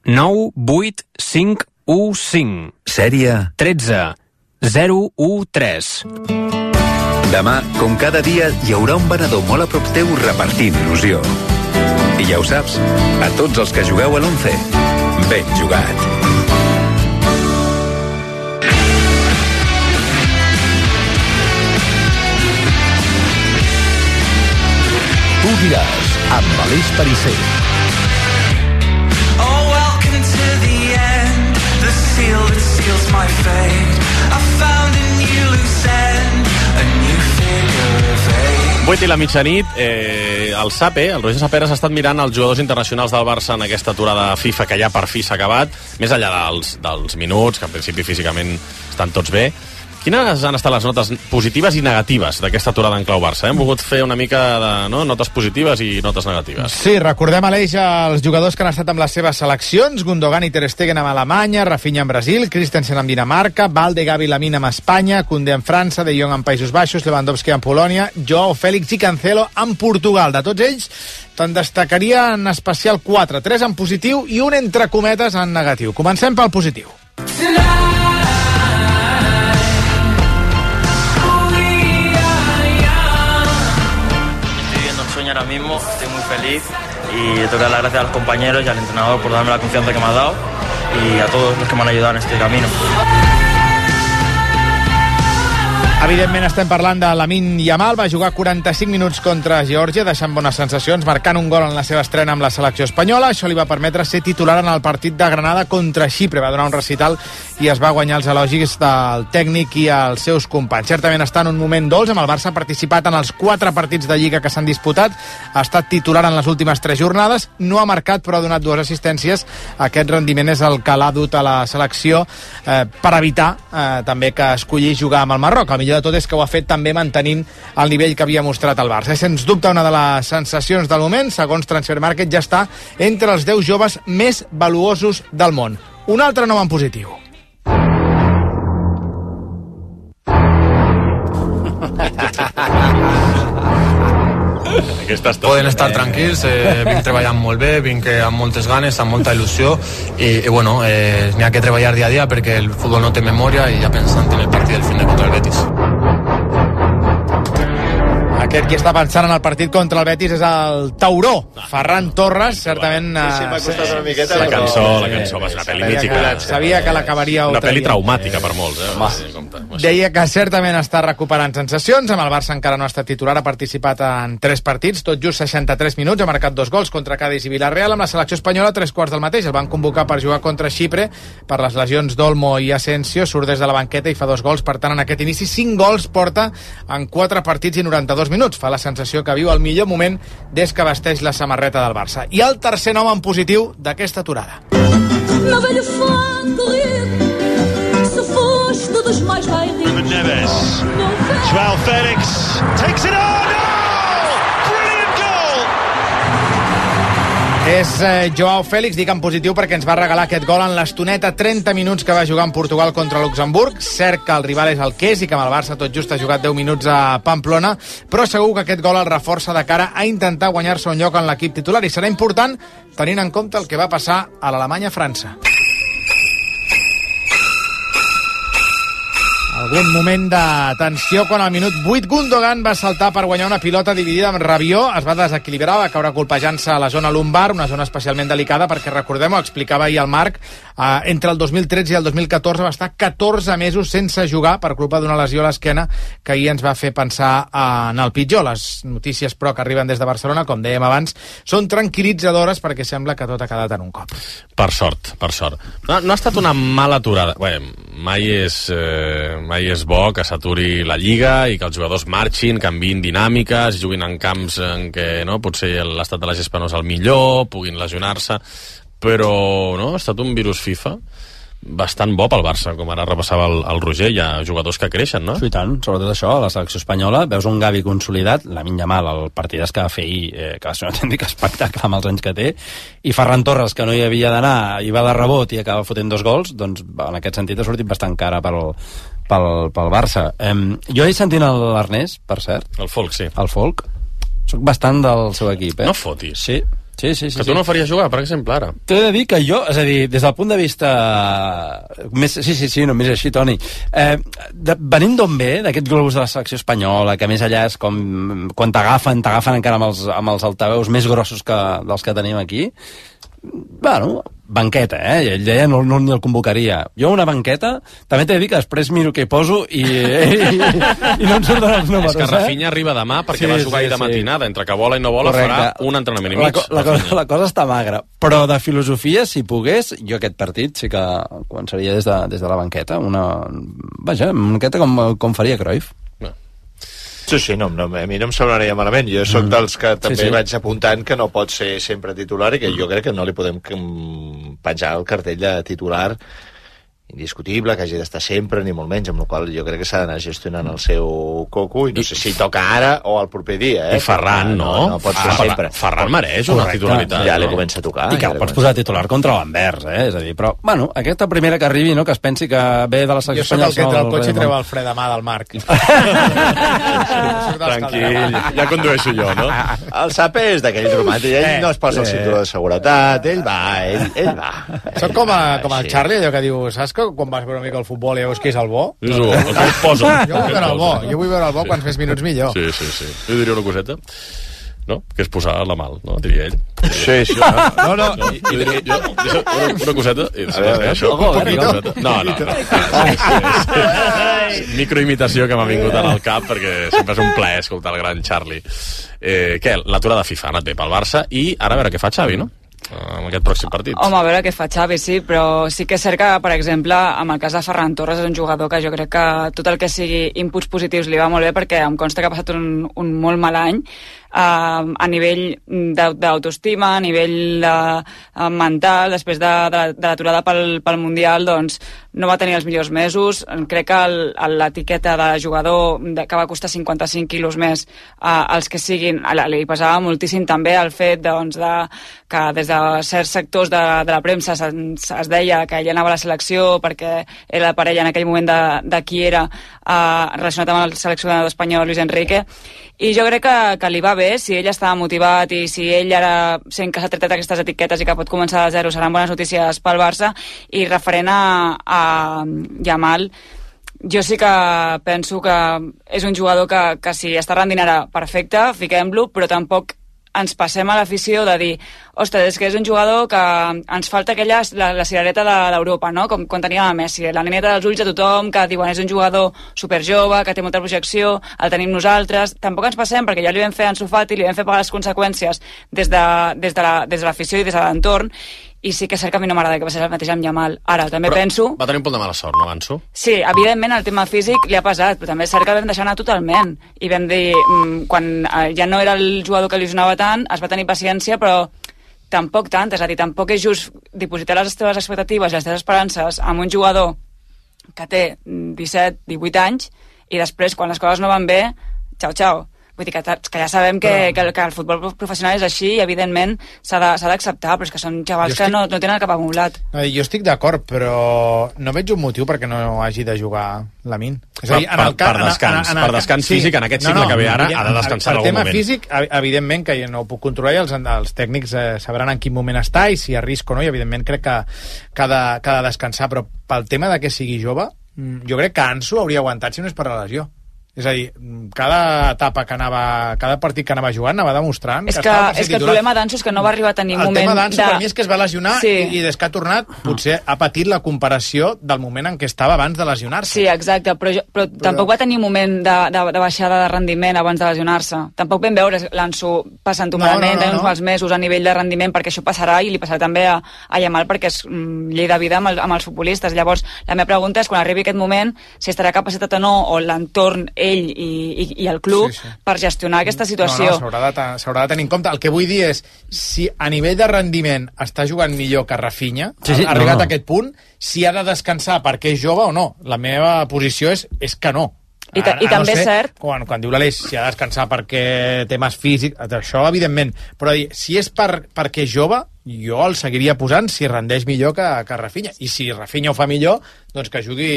nou vuit cinc u cinc. Sèrie tretze zero u tres. Demà, com cada dia, hi haurà un venedor molt a prop teu repartint il·lusió. I ja ho saps, a tots els que jugueu a l'once, ben jugat. Tu diràs, amb Aleix Perisser. Oh, welcome to the end, the seal that seals my fate. I found a new loose end, a new figure of eight. vuit i la mitjanit, eh, el Sape, el Roger Saperas, ha estat mirant els jugadors internacionals del Barça en aquesta aturada FIFA que ja per fi s'ha acabat, més enllà dels, dels minuts, que en principi físicament estan tots bé. Quines han estat les notes positives i negatives d'aquesta aturada en clau Barça? Eh? Hem volgut fer una mica de no? notes positives i notes negatives. Sí, recordem, Aleix, els jugadors que han estat amb les seves seleccions: Gundogan i Ter Stegen amb Alemanya, Rafinha amb Brasil, Christensen amb Dinamarca, Valde, Gavi, Lamine amb Espanya, Koundé amb França, De Jong amb Països Baixos, Lewandowski amb Polònia, Joao Fèlix i Cancelo amb Portugal. De tots ells, te'n destacaria en especial quatre, tres en positiu i un entre cometes en negatiu. Comencem pel positiu. Ahora mismo estoy muy feliz y tengo que dar las gracias a los compañeros y al entrenador por darme la confianza que me ha dado y a todos los que me han ayudado en este camino. Evidentment estem parlant de Lamine Yamal. Va jugar quaranta-cinc minuts contra Geòrgia, deixant bones sensacions, marcant un gol en la seva estrena amb la selecció espanyola. Això li va permetre ser titular en el partit de Granada contra Xipre. Va donar un recital i es va guanyar els elogis del tècnic i els seus companys. Certament està en un moment dolç, amb el Barça ha participat en els quatre partits de Lliga que s'han disputat, ha estat titular en les últimes tres jornades, no ha marcat però ha donat dues assistències. Aquest rendiment és el que l'ha dut a la selecció eh, per evitar eh, també que escolli jugar amb el Marroc. El millor de tot és que ho ha fet també mantenint el nivell que havia mostrat el Barça. És sens dubte una de les sensacions del moment. Segons Transfermarkt ja està entre els deu joves més valuosos del món. Un altre nom en positiu. Poden estar tranquils, eh, vinc treballant molt bé, vinc amb moltes ganes, amb molta il·lusió i, i bueno, eh, n'hi ha que treballar dia a dia perquè el futbol no té memòria i ja pensant en el partit del fin de contra el Betis. Aquest qui està pensant en el partit contra el Betis és el Tauró, Ferran Torres, certament... Sí, m'ha costat una miqueta. La cançó, la cançó va ser una pel·li mítica. Sabia que l'acabaria... Una pel·li traumàtica per molts, eh? Deia que certament està recuperant sensacions, amb el Barça encara no ha estat titular, ha participat en tres partits, tot just seixanta-tres minuts, ha marcat dos gols contra Cádiz i Villarreal, amb la selecció espanyola tres quarts del mateix, el van convocar per jugar contra Xipre, per les lesions d'Olmo i Asensio, surt des de la banqueta i fa dos gols, per tant en aquest inici cinc gols porta en quatre partits i noranta-dos minuts. Fa la sensació que viu el millor moment des que vesteix la samarreta del Barça. I el tercer nom en positiu d'aquesta aturada. Meu velho fã correr, se foste dos mais raio. Neves. João Félix takes it on. És eh, Joao Félix, dic en positiu perquè ens va regalar aquest gol en l'estoneta trenta minuts que va jugar en Portugal contra Luxemburg. Cert que el rival és el que és i que amb el Barça tot just ha jugat deu minuts a Pamplona, però segur que aquest gol el reforça de cara a intentar guanyar-se un lloc en l'equip titular i serà important tenint en compte el que va passar a l'Alemanya-França. Algun moment de tensió quan al minut vuit Gundogan va saltar per guanyar una pilota dividida amb Rabiot, es va desequilibrar, va caure colpejant-se a la zona lumbar, una zona especialment delicada perquè, recordem-ho, explicava ahir el Marc, eh, entre el dos mil tretze i el dos mil catorze va estar catorze mesos sense jugar per culpa d'una lesió a l'esquena que ahir ens va fer pensar en el pitjor. Les notícies, però, que arriben des de Barcelona, com dèiem abans, són tranquil·litzadores perquè sembla que tot ha quedat en un cop. Per sort, per sort. No, no ha estat una mala aturada. Bé, mai és... Eh... mai és bo que s'aturi la Lliga i que els jugadors marxin, canviïn dinàmiques, juguin en camps en què no, potser l'estat de la gespa no és el millor, puguin lesionar-se, però no, ha estat un virus FIFA bastant bo pel Barça, com ara repassava el, el Roger. Hi ha jugadors que creixen, no? Sí, tant, sobretot això, a la selecció espanyola veus un Gavi consolidat, Lamine Yamal el partidàs que va fer ahir, eh, que va ser un autèntic espectacle amb els anys que té, i Ferran Torres, que no hi havia d'anar i va de rebot i acaba fotent dos gols, doncs en aquest sentit ha sortit bastant cara pel, pel, pel Barça. Eh, jo he sentit l'Ernest, per cert. El Folk, sí. El Folk. Soc bastant del seu equip, eh? No fotis. Sí. Sí, sí, sí, que tu sí. no faries jugar, per exemple, ara. T'he de dir que jo, és a dir, des del punt de vista... Més, sí, sí, sí, només així, Toni. Eh, de, venint d'on ve, d'aquest globus de la selecció espanyola, que més allà és com... Quan t'agafen, t'agafen encara amb els, amb els altaveus més grossos que, dels que tenim aquí. Bueno, banqueta, eh? Ell deia no, no ni el convocaria. Jo una banqueta, també t'he de dir que després miro què hi poso i, i, i no em surten els números. És que Rafinha eh? arriba demà perquè sí, va jugar sí, ahir de matinada. Sí. Entre que vola i no vola Correcte. Farà un entrenament i mig. La, la, cosa, la cosa està magra. Però de filosofia, si pogués, jo aquest partit sí que començaria des de, des de la banqueta. Una, vaja, una banqueta com, com faria Cruyff. Sí, sí, no, no, a mi no em semblaria malament. Jo soc mm. dels que també sí, sí. vaig apuntant que no pot ser sempre titular i que jo crec que no li podem penjar el cartell de titular indiscutible, que hagi d'estar sempre, ni molt menys, amb la qual jo crec que s'ha d'anar gestionant el seu coco, i no sé si toca ara o el proper dia, eh? I Ferran, no? No, no pot ser ah, sempre. Ferran mereix una titularitat. Ja no? li comença a tocar. I que ja el pots posar titular contra l'Anvers, eh? És a dir, però, bueno, aquesta primera que arribi, no?, que es pensi que ve de la selecció espanyola... Jo soc el que entra al cotxe i treu el fre de mà del Marc. Tranquil, ja condueixo jo, no? El Sape és d'aquell romàntic, ell no es posa el cinturó de seguretat, ell va, ell, ell va. Soc com, a, com el Charlie, allò que diu, saps que quan vas veure una mica el futbol i veus qui és el bo? És el bo, el que et posa. Jo vull veure el bo, jo vull veure el bo quants més minuts millor. Sí, sí, sí. Jo diria una coseta, no? Que és posar la mal, no? Diria ell. Sí, sí. No, no. no jo diria, jo, jo, una, una coseta... I, a veure, això. Un poquito. No, no, no. Microimitació que m'ha vingut al cap perquè sempre és un plaer escoltar el gran Charlie. Eh, què? L'aturada FIFA ha anat bé pel Barça i ara a veure què fa Xavi, no? En aquest pròxim partit. Home, a veure què fa Xavi, sí, però sí que és cert que, per exemple, amb el cas de Ferran Torres és un jugador que jo crec que tot el que sigui inputs positius li va molt bé perquè em consta que ha passat un, un molt mal any. a nivell d'autoestima, a nivell de, uh, mental, després de, de, de l'aturada pel, pel Mundial, doncs no va tenir els millors mesos. Crec que l'etiqueta de jugador de, que va costar cinquanta-cinc quilos més uh, als que siguin, li pesava moltíssim també el fet doncs, de, que des de certs sectors de, de la premsa es, es deia que ell anava a la selecció perquè era la parella en aquell moment de, de qui era uh, relacionat amb el seleccionador espanyol Luis Enrique, i jo crec que, que li va bé si ell estava motivat i si ell ara sent que s'ha tretat aquestes etiquetes i que pot començar de zero, seran bones notícies pel Barça. I referent a, a Yamal, jo sí que penso que és un jugador que, que si està rendint ara perfecte, fiquem-lo, però tampoc ens passem a l'afició de dir, ostres, és que és un jugador que ens falta aquella, la, la cirereta d'Europa, no? Com quan teníem a Messi, la nineta dels ulls de tothom, que diuen és un jugador superjove, que té molta projecció, el tenim nosaltres. Tampoc ens passem, perquè ja li vam fer a Ansu Fati, li vam fer pagar les conseqüències des de, des de la, des de l'afició i des de l'entorn, i sí que és cert que a mi no m'agrada que passi el mateix amb Yamal. Ara, també però penso... Va tenir un punt de mala sort, no, Ansu? Sí, evidentment el tema físic li ha pesat, però també és cert que vam deixar anar totalment. I vam dir, quan ja no era el jugador que il·lusionava tant, es va tenir paciència, però tampoc tant. És a dir, tampoc és just dipositar les teves expectatives i les teves esperances amb un jugador que té disset, divuit anys i després, quan les coses no van bé, xau, xau. Vull dir que, que ja sabem que, però... que, el, que el futbol professional és així i, evidentment, s'ha d'acceptar, però és que són xavals estic... que no, no tenen cap acumulat. No, jo estic d'acord, però no veig un motiu perquè no hagi de jugar Lamine. És a dir, en el per, per descans, en, en, en, per descans sí. físic, en aquest cicle no, no, que ve ara, ha de descansar en algun moment. El tema físic, evidentment, que jo no ho puc controlar i els, els tècnics eh, sabran en quin moment està i si arrisco o no, i evidentment crec que, que, ha de, que ha de descansar, però pel tema de que sigui jove, jo crec que Ansu hauria aguantat si no és per la lesió. És a dir, cada etapa que anava, cada partit que anava jugant anava demostrant és que, que estava per ser és que el titular. problema d'Ansu és que no va arribar a tenir el moment... El tema d'Ansu de... per mi és que es va lesionar sí. i, i des que ha tornat potser ha patit la comparació del moment en què estava abans de lesionar-se. Sí, exacte, però, jo, però, però tampoc va tenir moment de, de, de baixada de rendiment abans de lesionar-se. Tampoc vam veure l'Ansu passant-ho malament, no, no, no, tenint uns mals mesos a nivell de rendiment, perquè això passarà i li passarà també a, a Yamal perquè és mm, llei de vida amb, el, amb els futbolistes. Llavors, la meva pregunta és quan arribi aquest moment si estarà capacitat o no, o l'entorn, ell i, i i el club sí, sí. per gestionar aquesta situació. No, no, s'haurà de, s'haurà de tenir en compte. El que vull dir és, si a nivell de rendiment està jugant millor que Rafinha, sí, sí, ha arribat no, no. a aquest punt, si ha de descansar perquè és jove o no. La meva posició és, és que no. I, ta, i també no sé, és cert... Quan, quan diu l'Aleix, si ha de descansar perquè temes físics, això evidentment, però dir, si és per, perquè és jove, jo el seguiria posant si rendeix millor que, que Rafinha. I si Rafinha ho fa millor, doncs que jugui,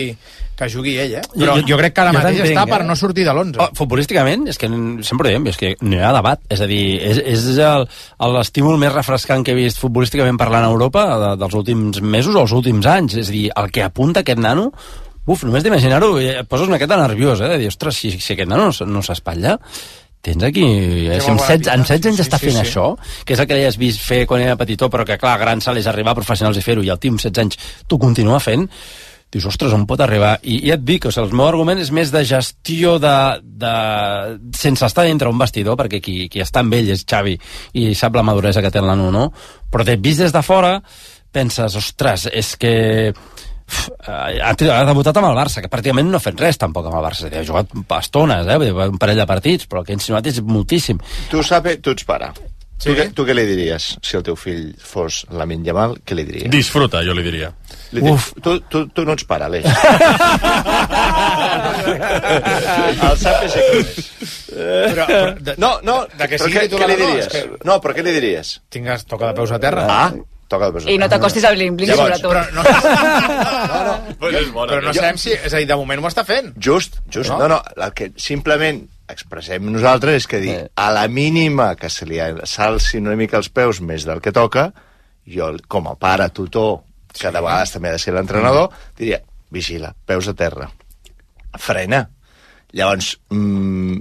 que jugui ell, eh? Però jo, jo crec que ara mateix entenc, està eh? per no sortir de l'onze. Oh, futbolísticament, és que sempre ho diem, és que no hi ha debat. És a dir, és, és l'estímul més refrescant que he vist futbolísticament parlant a Europa de, dels últims mesos o els últims anys. És a dir, el que apunta aquest nano... Uf, només d'imaginar-ho, et poses una miqueta nerviós, eh? De dir, ostres, si, si aquest nano no, no s'espatlla, tens aquí... Eh, si amb setze, amb setze anys sí, està fent sí, sí. això, que és el que l'has vist fer quan era petitó, però que, clar, gran salt és arribar a professionals i fer-ho, i el tio amb setze anys t'ho continua fent, dius, ostres, on pot arribar? I, i et dic, o sigui, el meu argument és més de gestió de... de sense estar dintre un vestidor, perquè qui, qui està amb ell és Xavi i sap la maduresa que té el nano, no? Però t'he vist des de fora, penses, ostres, és que... ha debutat amb el Barça, que pràcticament no ha fet res tampoc amb el Barça, ha jugat estones, eh? un parell de partits, però el que ha insinuat és moltíssim. Tu saps, tu ets pare. Sí? Tu, tu què li diries si el teu fill fos Lamine Yamal? Què li diries? Disfruta, jo li diria. Li Uf. Tu, tu, tu no ets pare, Aleix. El sap és aquí. Però, però, de, no, no, de que sigui titular, què li diries? Que... No, però què li diries? Tingues, toca de peus a terra. Ah, toca de peus a terra. I no t'acostis al bling-bling, sobretot. Però no, no, no, però, però no sabem si... És a dir, de moment ho està fent. Just, just. No, no, no el que simplement expressem nosaltres és que dir, a la mínima que se li s'alci una mica els peus més del que toca, jo, com a pare, tutor, que de vegades també ha de ser l'entrenador, diria, vigila, peus a terra, frena. Llavors, mmm,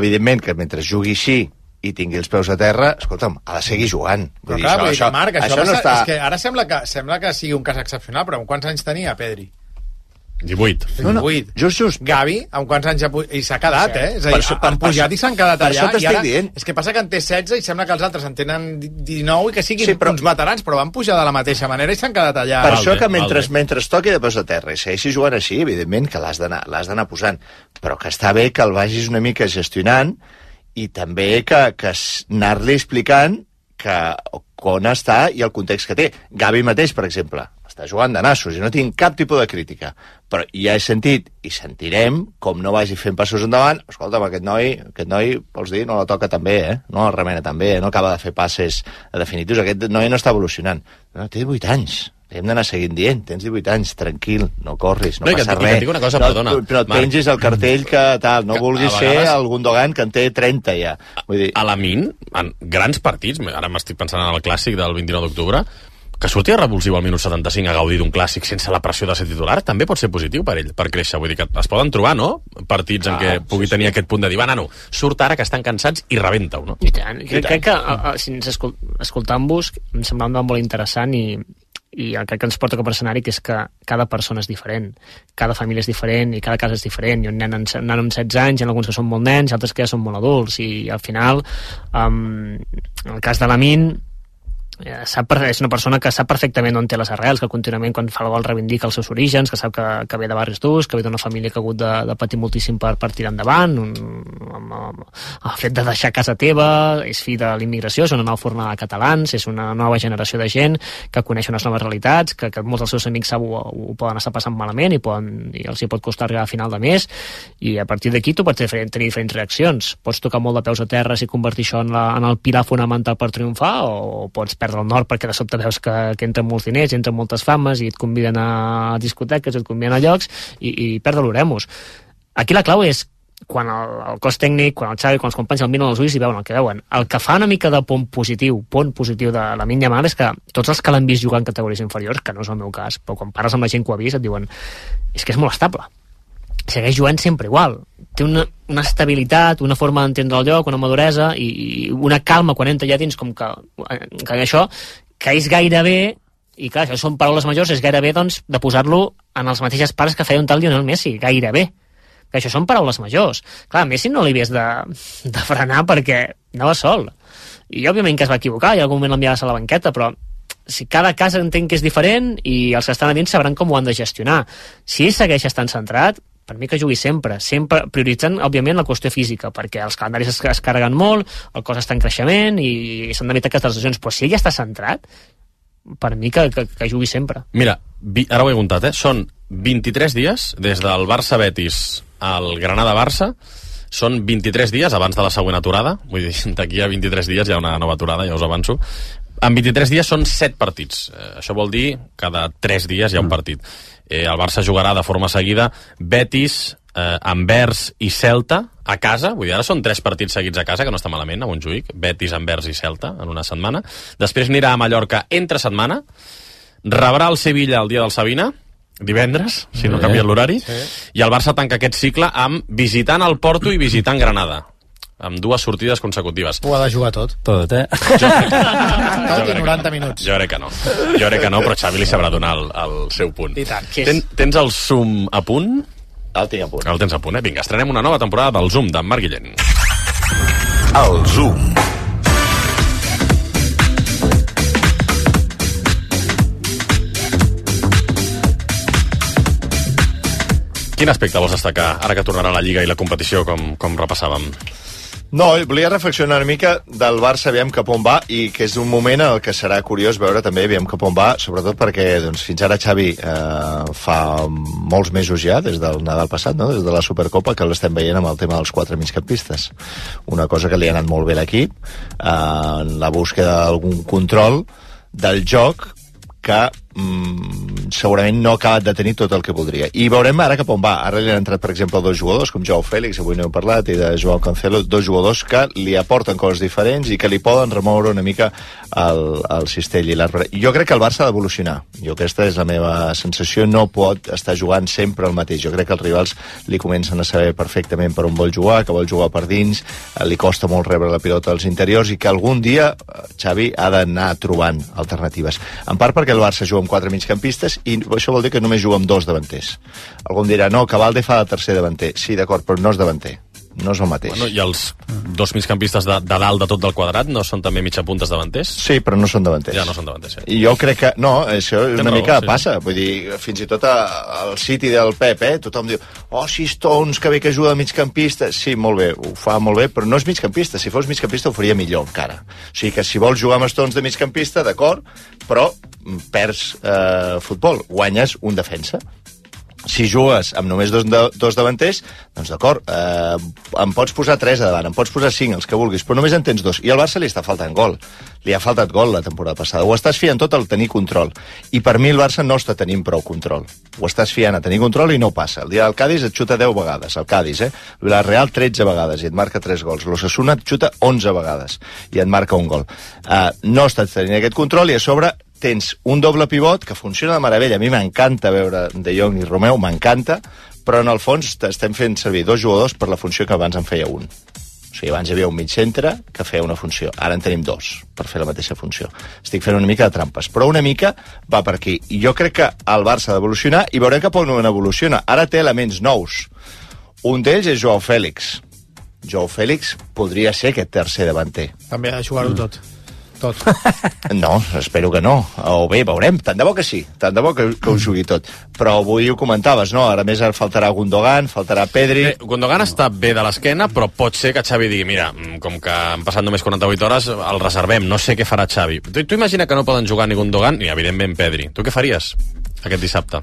evidentment que mentre jugui així i tingui els peus a terra, escolta'm, ha de seguir jugant. Però clar, això, això, Marc, això, això no està... És que ara sembla que, sembla que sigui un cas excepcional, però amb quants anys tenia, Pedri? divuit. No, no. divuit. Just, just. Gavi, amb quants anys ha pu... i s'ha quedat, eh? És a dir, això, han pujat per, i s'han quedat allà. I ara, dient. És que passa que en té setze i sembla que els altres en tenen dinou i que siguin sí, però... uns veterans, però van pujar de la mateixa manera i s'han quedat allà. Per això que mentre, mentre es toqui de peus a terra i segueixi jugant així, evidentment que l'has d'anar posant, però que està bé que el vagis una mica gestionant i també que, que anar-li explicant que on està i el context que té. Gavi mateix, per exemple, està jugant de nassos i no tinc cap tipus de crítica, però ja he sentit i sentirem com no vagi fent passos endavant. Escolta'm, aquest noi, aquest noi, vols dir, no la toca tan bé, eh? No la remena tan bé, eh? No acaba de fer passes definitius. Aquest noi no està evolucionant. No, té divuit anys. Hem d'anar seguint dient, tens divuit anys, tranquil, no corris, no, no passa res. Una cosa, no, perdona, no et pengis el cartell que tal, no que vulguis vegades, ser el Gundogan que en té trenta ja. Vull dir... A la Min, en grans partits, ara m'estic pensant en el clàssic del vint-i-nou d'octubre, que surti a revulsiu al minut setanta-cinc a gaudir d'un clàssic sense la pressió de ser titular, també pot ser positiu per ell, per créixer. Vull dir que es poden trobar, no?, partits en què pugui tenir aquest punt de dir, va, nano, surt ara que estan cansats i rebenta-ho, no? I tant. Crec, crec que, a, a, si ens escol escoltant-vos, em semblava molt interessant i i el que ens porta cap a l'escenari, que és que cada persona és diferent, cada família és diferent i cada casa és diferent. Hi ha un nen, un nen amb setze anys, hi ha alguns que són molt nens, altres que ja són molt adults, i al final, um, en el cas de l'Amin, eh, sap, és una persona que sap perfectament on té les arrels, que contínuament quan fa el gol reivindica els seus orígens, que sap que, que ve de barris durs, que ve d'una família que ha hagut de, de patir moltíssim per, per tirar endavant, un, amb, amb, el fet de deixar casa teva, és fill de l'immigració, és una nova fornada de catalans, és una nova generació de gent que coneix unes noves realitats, que, que molts dels seus amics sap, ho, ho poden estar passant malament i, poden, i els hi pot costar arribar a final de mes, i a partir d'aquí tu pots tenir, tenir diferents reaccions. Pots tocar molt de peus a terra i convertir això en, la, en el pilar fonamental per triomfar, o pots perdre el nord perquè de sobte veus que, que entren molts diners, entren moltes fames i et conviden a discoteques, et conviden a llocs i, i perdre l'oremus. Aquí la clau és quan el, el cos tècnic, quan el Xavi, quan els companys el miren als ulls i veuen el que veuen. El que fa una mica de pont positiu, pont positiu de Lamine Yamal és que tots els que l'han vist jugar en categories inferiors, que no és el meu cas, però quan parles amb la gent que ho ha vist et diuen és que és molt estable. Segueix jugant sempre igual. Té una, una estabilitat, una forma d'entendre el lloc, una maduresa i, i una calma quan entra allà dins, com que, que això, que és gairebé, i clar, això són paraules majors, és gairebé doncs, de posar-lo en els mateixos pares que feia un tal Lionel Messi, gairebé. Que això són paraules majors. Clar, Messi no li havies de, de frenar perquè anava sol. I òbviament que es va equivocar, i en algun moment l'enviaves a la banqueta, però si cada cas entenc que és diferent i els que estan a dins sabran com ho han de gestionar. Si ell segueix estant centrat, per mi que jugui sempre, sempre prioritzant, òbviament, la qüestió física, perquè els calendaris es, es carreguen molt, el cos està en creixement i s'han d'evitar aquestes lesions, però si ell ja està centrat, per mi que, que, que jugui sempre. Mira, vi, ara ho he comptat, eh? Són vint-i-tres dies des del Barça-Betis al Granada-Barça, són vint-i-tres dies abans de la següent aturada, vull dir, d'aquí a vint-i-tres dies hi ha una nova aturada, ja us avanço. En vint-i-tres dies són set partits. Eh, això vol dir cada tres dies hi ha un partit. Eh, el Barça jugarà de forma seguida Betis, eh, Anvers i Celta a casa, vull dir, ara són tres partits seguits a casa, que no està malament, a Montjuïc, Betis, Anvers i Celta en una setmana. Després anirà a Mallorca entre setmana, rebrà el Sevilla el dia del Sabina, divendres, si no canvia l'horari, sí. I el Barça tanca aquest cicle amb visitant el Porto i visitant Granada, amb dues sortides consecutives. Ho ha de jugar tot. Tot, eh? Jo crec que, tot i noranta minuts. Jo crec que no. Jo crec que no, però Xavi li sabrà donar el, el seu punt. I tant. Ten, tens el Zoom a punt? El tinc a punt. El tens a punt, eh? Vinga, estrenem una nova temporada del Zoom d'en Marc Guillén. El Zoom. Quin aspecte vols destacar ara que tornarà a la Lliga i la competició com, com repassàvem? No, volia reflexionar una mica del Barça, aviam cap on va, i que és un moment en el que serà curiós veure també aviam cap on va, sobretot perquè doncs, fins ara Xavi eh, fa molts mesos ja, des del Nadal passat, no? Des de la Supercopa, que l'estem veient amb el tema dels quatre migcampistes. Una cosa que li ha anat molt bé a l'equip, eh, en la búsqueda d'algun control del joc que mm, segurament no ha acabat de tenir tot el que voldria. I veurem ara cap on va. Ara li han entrat, per exemple, dos jugadors, com Joao Fèlix, avui no hem parlat, i de Joao Cancelo, dos jugadors que li aporten coses diferents i que li poden remoure una mica el, el cistell i l'arbre. Jo crec que el Barça ha d'evolucionar. Jo aquesta és la meva sensació. No pot estar jugant sempre el mateix. Jo crec que els rivals li comencen a saber perfectament per on vol jugar, que vol jugar per dins, li costa molt rebre la pilota als interiors i que algun dia Xavi ha d'anar trobant alternatives. En part perquè el Barça juga amb quatre migcampistes i això vol dir que només juga amb dos davanters. Algú em dirà, no, que Valde fa de tercer davanter. Sí, d'acord, però no és davanter. no és el mateix. Bueno, i els dos migcampistes de, de dalt de tot del quadrat no són també mitjapuntes davanters? Sí, però no són davanters. Ja no són davanters, sí. I jo crec que, no, això una Tens mica raó, sí, passa, vull dir, fins i tot al City del Pep, eh, tothom diu, oh, si Stones, que bé que ajuda a migcampista, sí, molt bé, ho fa molt bé, però no és migcampista, si fos migcampista ho faria millor encara. O sigui que si vols jugar amb Stones de migcampista, d'acord, però perds eh, futbol, guanyes un defensa. Si jugues amb només dos, de, dos davanters, doncs d'acord, eh, em pots posar tres a davant, em pots posar cinc, els que vulguis, però només en tens dos. I al Barça li està faltant gol. Li ha faltat gol la temporada passada. Ho estàs fiant tot al tenir control. I per mi el Barça no està tenint prou control. Ho estàs fiant a tenir control i no passa. El dia del Cádiz et xuta deu vegades, el Cádiz, eh? El Villarreal tretze vegades i et marca tres gols. L'Osasuna et xuta onze vegades i et marca un gol. Eh, no estàs tenint aquest control i a sobre tens un doble pivot que funciona de meravella. A mi m'encanta veure De Jong i Romeu, m'encanta, però en el fons estem fent servir dos jugadors per la funció que abans en feia un. O sigui, abans hi havia un mig centre que feia una funció. Ara en tenim dos per fer la mateixa funció. Estic fent una mica de trampes, però una mica va per aquí. I jo crec que el Barça ha d'evolucionar i veurem cap on evoluciona. Ara té elements nous. Un d'ells és Joao Fèlix. Joao Fèlix podria ser aquest tercer davanter. També ha de jugar-ho mm. tot. Tot. No, espero que no. O bé, veurem. Tant de bo que sí. Tant de bo que, que ho jugui tot. Però avui ho comentaves, no? Ara més faltarà Gundogan, faltarà Pedri... Bé, Gundogan està bé de l'esquena, però pot ser que Xavi digui, mira, com que han passat només quaranta-vuit hores, el reservem. No sé què farà Xavi. Tu, tu imagina que no poden jugar ni Gundogan ni, evidentment, Pedri. Tu què faries aquest dissabte?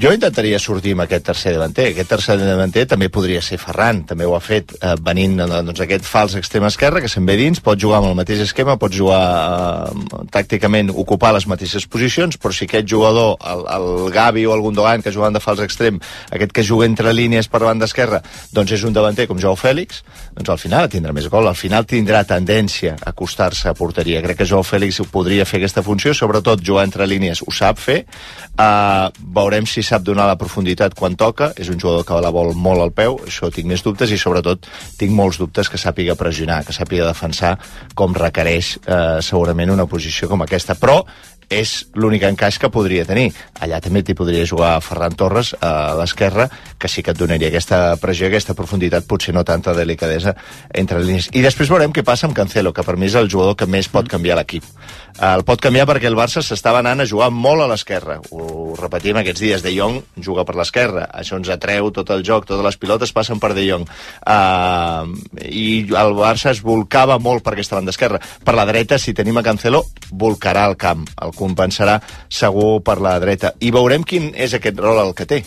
Jo intentaria sortir amb aquest tercer davanter. Aquest tercer davanter també podria ser Ferran, també ho ha fet eh, venint doncs, aquest fals extrem esquerre que se'n ve dins, pot jugar amb el mateix esquema, pot jugar eh, tàcticament, ocupar les mateixes posicions, però si aquest jugador, el, el Gavi o el Gundogan que juguen de fals extrem, aquest que juga entre línies per banda esquerra, doncs és un davanter com Joao Fèlix, doncs al final tindrà més gol, al final tindrà tendència a acostar-se a porteria. Crec que Joao Fèlix podria fer aquesta funció, sobretot jugar entre línies ho sap fer, eh, veurem si sap donar la profunditat quan toca, és un jugador que la vol molt al peu, això tinc més dubtes i sobretot tinc molts dubtes que sàpiga pressionar, que sàpiga defensar com requereix eh, segurament una posició com aquesta, però és l'únic encaix que podria tenir. Allà també t'hi podria jugar Ferran Torres a l'esquerra, que sí que et donaria aquesta pressió, aquesta profunditat, potser no tanta delicadesa entre línies. I després veurem què passa amb Cancelo, que per mi és el jugador que més pot canviar l'equip. El pot canviar perquè el Barça s'estava anant a jugar molt a l'esquerra. Ho repetim aquests dies, De Jong juga per l'esquerra, això ens atreu tot el joc, totes les pilotes passen per De Jong. Uh, I el Barça es volcava molt per aquesta banda esquerra. Per la dreta, si tenim a Cancelo, volcarà el camp, el compensarà segur per la dreta. I veurem quin és aquest rol el que té.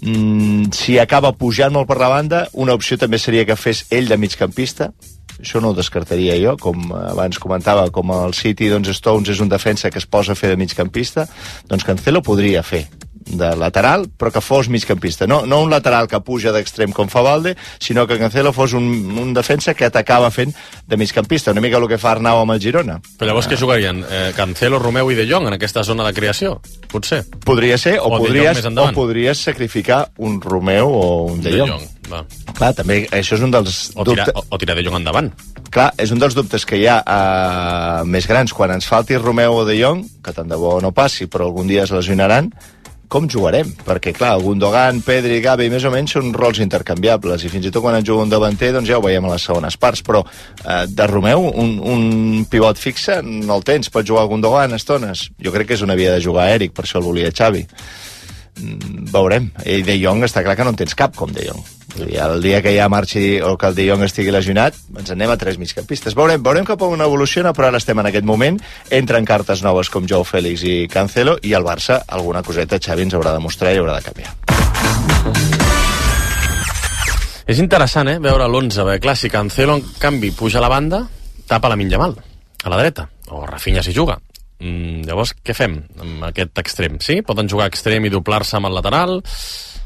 Mm, si acaba pujant molt per la banda, una opció també seria que fes ell de migcampista. Això no ho descartaria jo, com abans comentava, com el City, doncs Stones és un defensa que es posa a fer de migcampista, doncs Cancelo podria fer de lateral, però que fos migcampista. No, no un lateral que puja d'extrem com fa Valde, sinó que Cancelo fos un, un defensa que t'acaba fent de migcampista, una mica el que fa Arnau amb el Girona. Però llavors què jugarien? Eh, Cancelo, Romeu i De Jong en aquesta zona de creació? Potser. Podria ser, o, o, podries, o podries sacrificar un Romeu o un De Jong. De Jong. Va. Clar, també això és un dels... O tirar, dubte... o, o tirar De Jong endavant. Clar, és un dels dubtes que hi ha uh, més grans. Quan ens falti Romeu o De Jong, que tant de bo no passi, però algun dia es lesionaran, com jugarem? Perquè, clar, Gundogan, Pedri, Gavi, més o menys són rols intercanviables, i fins i tot quan en juga un davanter, doncs ja ho veiem a les segones parts, però eh, de Romeu, un, un pivot fixe no el tens, pot jugar Gundogan estones. Jo crec que és una via de jugar Eric, per això el volia Xavi. Mm, veurem. I De Jong està clar que no en tens cap com De Jong. El dia que ja marxi o que el De Jong estigui lesionat, ens anem a tres migcampistes. Veurem, veurem cap on evoluciona, però ara estem en aquest moment. Entren cartes noves com Joao Fèlix i Cancelo, i el Barça, alguna coseta, Xavi ens haurà de mostrar i haurà de canviar. És interessant, eh, veure l'onze, perquè clar, si Cancelo, en canvi, puja a la banda, tapa la Lamine Yamal, a la dreta, o Rafinha si juga. Mm, llavors, què fem amb aquest extrem? Sí? Poden jugar extrem i doblar-se amb el lateral?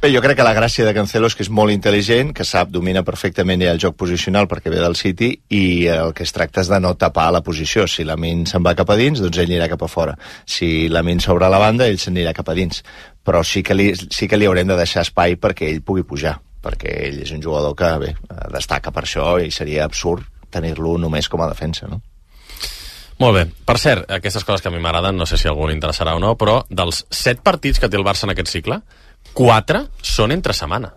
Bé, jo crec que la gràcia de Cancelo és que és molt intel·ligent, que sap, domina perfectament ja el joc posicional perquè ve del City, i el que es tracta és de no tapar la posició. Si Lamine se'n va cap a dins, doncs ell anirà cap a fora. Si Lamine s'obre a la banda, ell se'n anirà cap a dins. Però sí que, li, sí que li haurem de deixar espai perquè ell pugui pujar, perquè ell és un jugador que, bé, destaca per això, i seria absurd tenir-lo només com a defensa, no? Molt bé. Per cert, aquestes coses que a mi m'agraden, no sé si a algú li interessarà o no, però dels set partits que té el Barça en aquest cicle, quatre són entre setmana.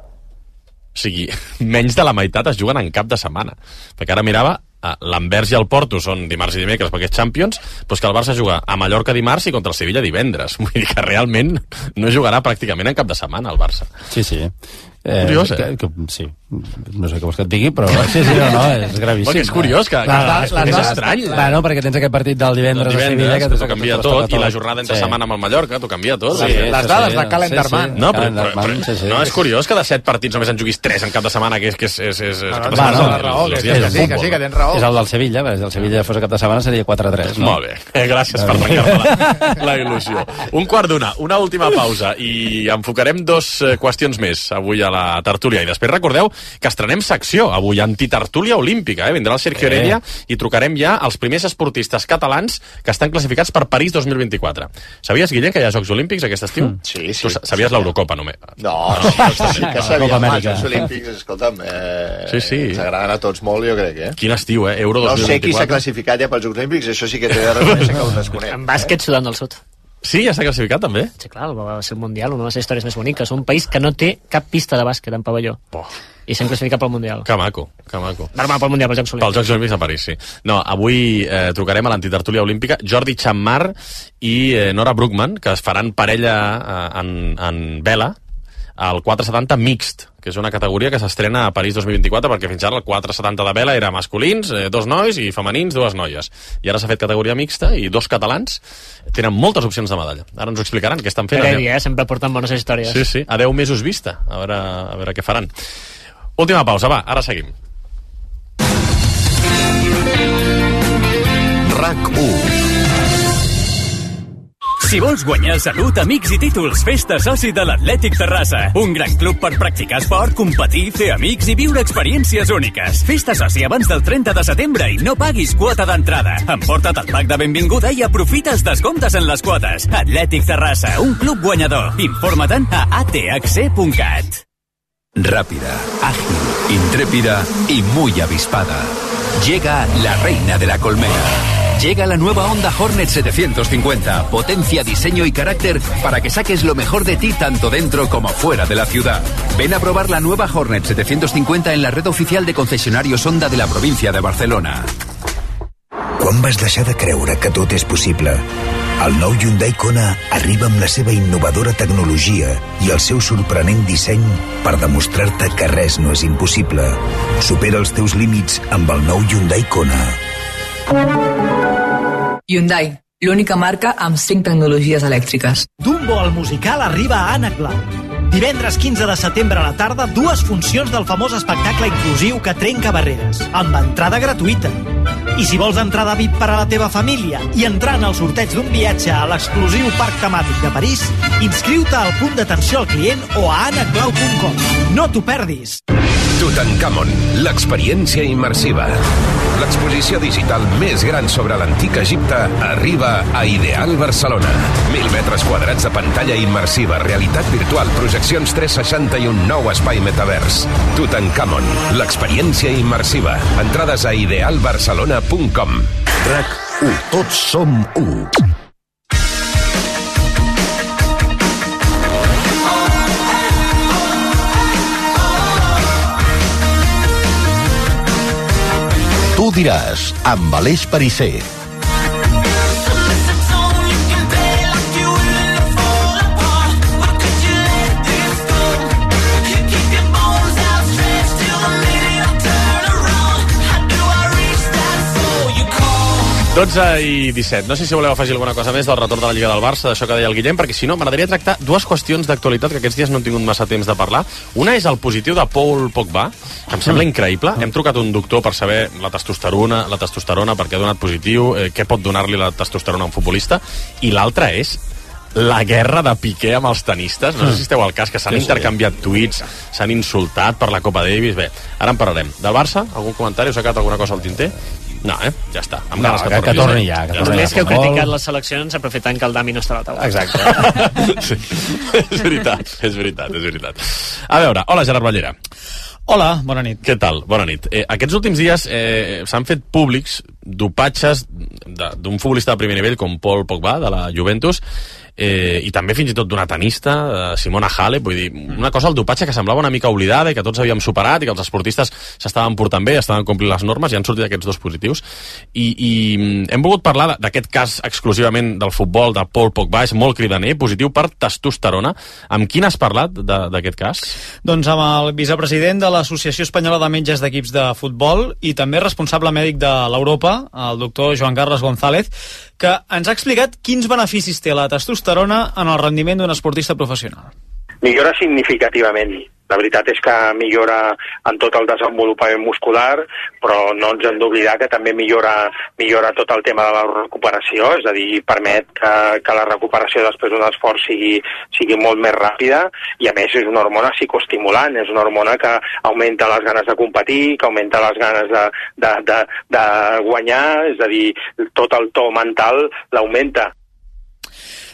sigui, menys de la meitat es juguen en cap de setmana. Perquè ara mirava, l'Anvers i el Porto són dimarts i dimecres perquè és Champions, però és que el Barça juga a Mallorca dimarts i contra el Sevilla divendres. Vull dir que realment no jugarà pràcticament en cap de setmana el Barça. Sí, sí. Eh, Curiós, eh? Que, que, sí, no sé què vols que et digui, però sí, sí, no, no, és gravíssim. Perquè és curiós, que, que clar, és, és estrany. Clar, no, perquè tens aquest partit del divendres, el divendres a Sevilla, que t'ho canvia tot, tot, i la jornada entre sí. setmana amb el Mallorca t'ho canvia tot. Sí, sí, les dades sí, de Calendarman. Sí, sí. No, però, però, però, sí, sí. no, és curiós que de set partits només en juguis tres en cap de setmana, que és... Que és, és, és, és no, no, no, no, raó, que, que, que, sí, que sí, que tens raó. És el del Sevilla, perquè si el Sevilla fos a cap de setmana seria quatre a tres. No? Molt bé, eh, gràcies per trencar-me la, la il·lusió. Un quart d'una, una última pausa, i enfocarem dos qüestions més avui a la tertúlia, i després recordeu que estrenem secció avui, antitertúlia olímpica, eh? Vindrà el Sergio Heredia i trucarem ja als primers esportistes catalans que estan classificats per París dos mil vint-i-quatre. Sabies, Guillem, que hi ha Jocs Olímpics aquest estiu? Mm. Sí, sí. Tu sabies sí, l'Eurocopa, només? No, no, sí, sí que sabia. Els Jocs Olímpics, escolta'm, eh, sí, sí. ens agraden a tots molt, jo crec, eh? Quin estiu, eh? Euro dos mil vint-i-quatre. No sé qui s'ha classificat ja pels Jocs Olímpics, això sí que t'he de reconèixer que ho desconec. En bàsquet, Sudan del Sud. Sí, ja s'ha classificat, també? Sí, clar, va ser el Mundial, una de les històries més boniques. Un país que no té cap pista de bàsquet en pavelló. Oh. I s'han classificat pel Mundial. Que maco, que maco. Normal, pel Mundial, pels Jocs Olímpics. Pels Jocs Olímpics a París, sí. No, avui eh, trucarem a l'antitertúlia olímpica Jordi Chammar i eh, Nora Brookman, que es faran parella eh, en, en vela al quatre setanta mixt, que és una categoria que s'estrena a París dos mil vint-i-quatre, perquè fins ara el quatre setanta de vela era masculins, eh, dos nois, i femenins, dues noies. I ara s'ha fet categoria mixta, i dos catalans tenen moltes opcions de medalla. Ara ens ho explicaran, què estan fent. Heredia, eh? Sempre porten bones històries. Sí, sí, a deu mesos vista. A veure, a veure què faran. Última pausa, va, ara seguim. RAC u. Si vols guanyar salut, amics i títols, fes-te soci de l'Atlètic Terrassa. Un gran club per practicar esport, competir, fer amics i viure experiències úniques. Fes-te soci abans del trenta de setembre i no paguis quota d'entrada. Emporta't el pack de benvinguda i aprofites descomptes en les quotes. Atlètic Terrassa, un club guanyador. Informa-te'n a a t h c punt cat. Rápida, ágil, intrépida y muy avispada. Llega la reina de la colmena. Llega la nueva Honda Hornet setecientos cincuenta. Potencia, diseño y carácter para que saques lo mejor de ti tanto dentro como fuera de la ciudad. Ven a probar la nueva Hornet setecientos cincuenta en la red oficial de concesionarios Honda de la província de Barcelona. Quan vas deixar de creure que tot és possible? El nou Hyundai Kona arriba amb la seva innovadora tecnologia i el seu sorprenent disseny per demostrar-te que res no és impossible. Supera els teus límits amb el nou Hyundai Kona. Hyundai, l'única marca amb cinc tecnologies elèctriques. Dumbo el musical arriba a Ànec Blau. Divendres quinze de setembre a la tarda, dues funcions del famós espectacle inclusiu que trenca barreres, amb entrada gratuïta. I si vols entrada V I P per a la teva família i entrar en el sorteig d'un viatge a l'exclusiu parc temàtic de París, inscriu-te al punt d'atenció al client o a ànec blau punt com. No t'ho perdis! Tutankamon, l'experiència immersiva. L'exposició digital més gran sobre l'antic Egipte arriba a Ideal Barcelona. Mil metres quadrats de pantalla immersiva, realitat virtual, projeccions tres seixanta i un nou espai metavers. Tutankamon, l'experiència immersiva. Entrades a ideal barcelona punt com. RAC u. Tots som u. Tu diràs, amb Aleix Perisser. dotze i disset. No sé si voleu afegir alguna cosa més del retorn de la Lliga del Barça, d'això que deia el Guillem, perquè si no, m'agradaria tractar dues qüestions d'actualitat que aquests dies no hem tingut massa temps de parlar. Una és el positiu de Paul Pogba, que em sembla increïble. Hem trucat un doctor per saber la testosterona, la testosterona perquè ha donat positiu, eh, què pot donar-li la testosterona a un futbolista, i l'altra és la guerra de Piqué amb els tenistes. No sé si esteu al cas, que s'han sí, intercanviat tuits, s'han insultat per la Copa Davis. Bé, ara en parlarem. Del Barça, algun comentari? Us ha quedat alguna cosa al tinter? No, eh? Ja està. Amb no, que, que torni ja. Que torni Només que heu criticat les seleccions aprofitant que el Dami no està a la taula. Exacte. Sí. És veritat, és veritat, és veritat. A veure, hola Gerard Ballera. Hola, bona nit. Què tal? Bona nit. Eh, aquests últims dies eh, s'han fet públics dopatges d'un futbolista de primer nivell com Paul Pogba, de la Juventus, eh, i també fins i tot d'una tenista, eh, Simona Halep, vull dir, una cosa, el dopatge que semblava una mica oblidada i que tots havíem superat i que els esportistes s'estaven portant bé, estaven complint les normes i han sortit aquests dos positius. I, i hem volgut parlar d'aquest cas exclusivament del futbol, de Paul Pogba, és molt cridaner, positiu per testosterona. Amb qui n'has parlat d'aquest cas? Doncs amb el vicepresident de l'Associació Espanyola de Metges d'Equips de Futbol i també responsable mèdic de l'Europa, el doctor Joan Carles González, que ens ha explicat quins beneficis té la testosterona en el rendiment d'un esportista professional. Millora significativament. La veritat és que millora en tot el desenvolupament muscular, però no ens hem d'oblidar que també millora, millora tot el tema de la recuperació, és a dir, permet que, que la recuperació després d'un esforç sigui, sigui molt més ràpida, i a més és una hormona psicoestimulant, és una hormona que augmenta les ganes de competir, que augmenta les ganes de, de, de, de guanyar, és a dir, tot el to mental l'augmenta.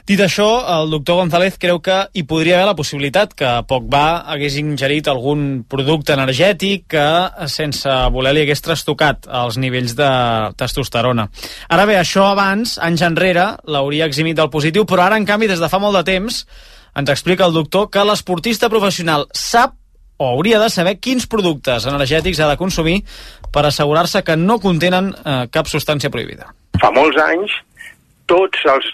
Dit això, el doctor González creu que hi podria haver la possibilitat que Pogba hagués ingerit algun producte energètic que, sense voler, li hagués trastocat els nivells de testosterona. Ara bé, això abans, anys enrere, l'hauria eximit del positiu, però ara, en canvi, des de fa molt de temps, ens explica el doctor que l'esportista professional sap o hauria de saber quins productes energètics ha de consumir per assegurar-se que no contenen eh, cap substància prohibida. Fa molts anys, tots els,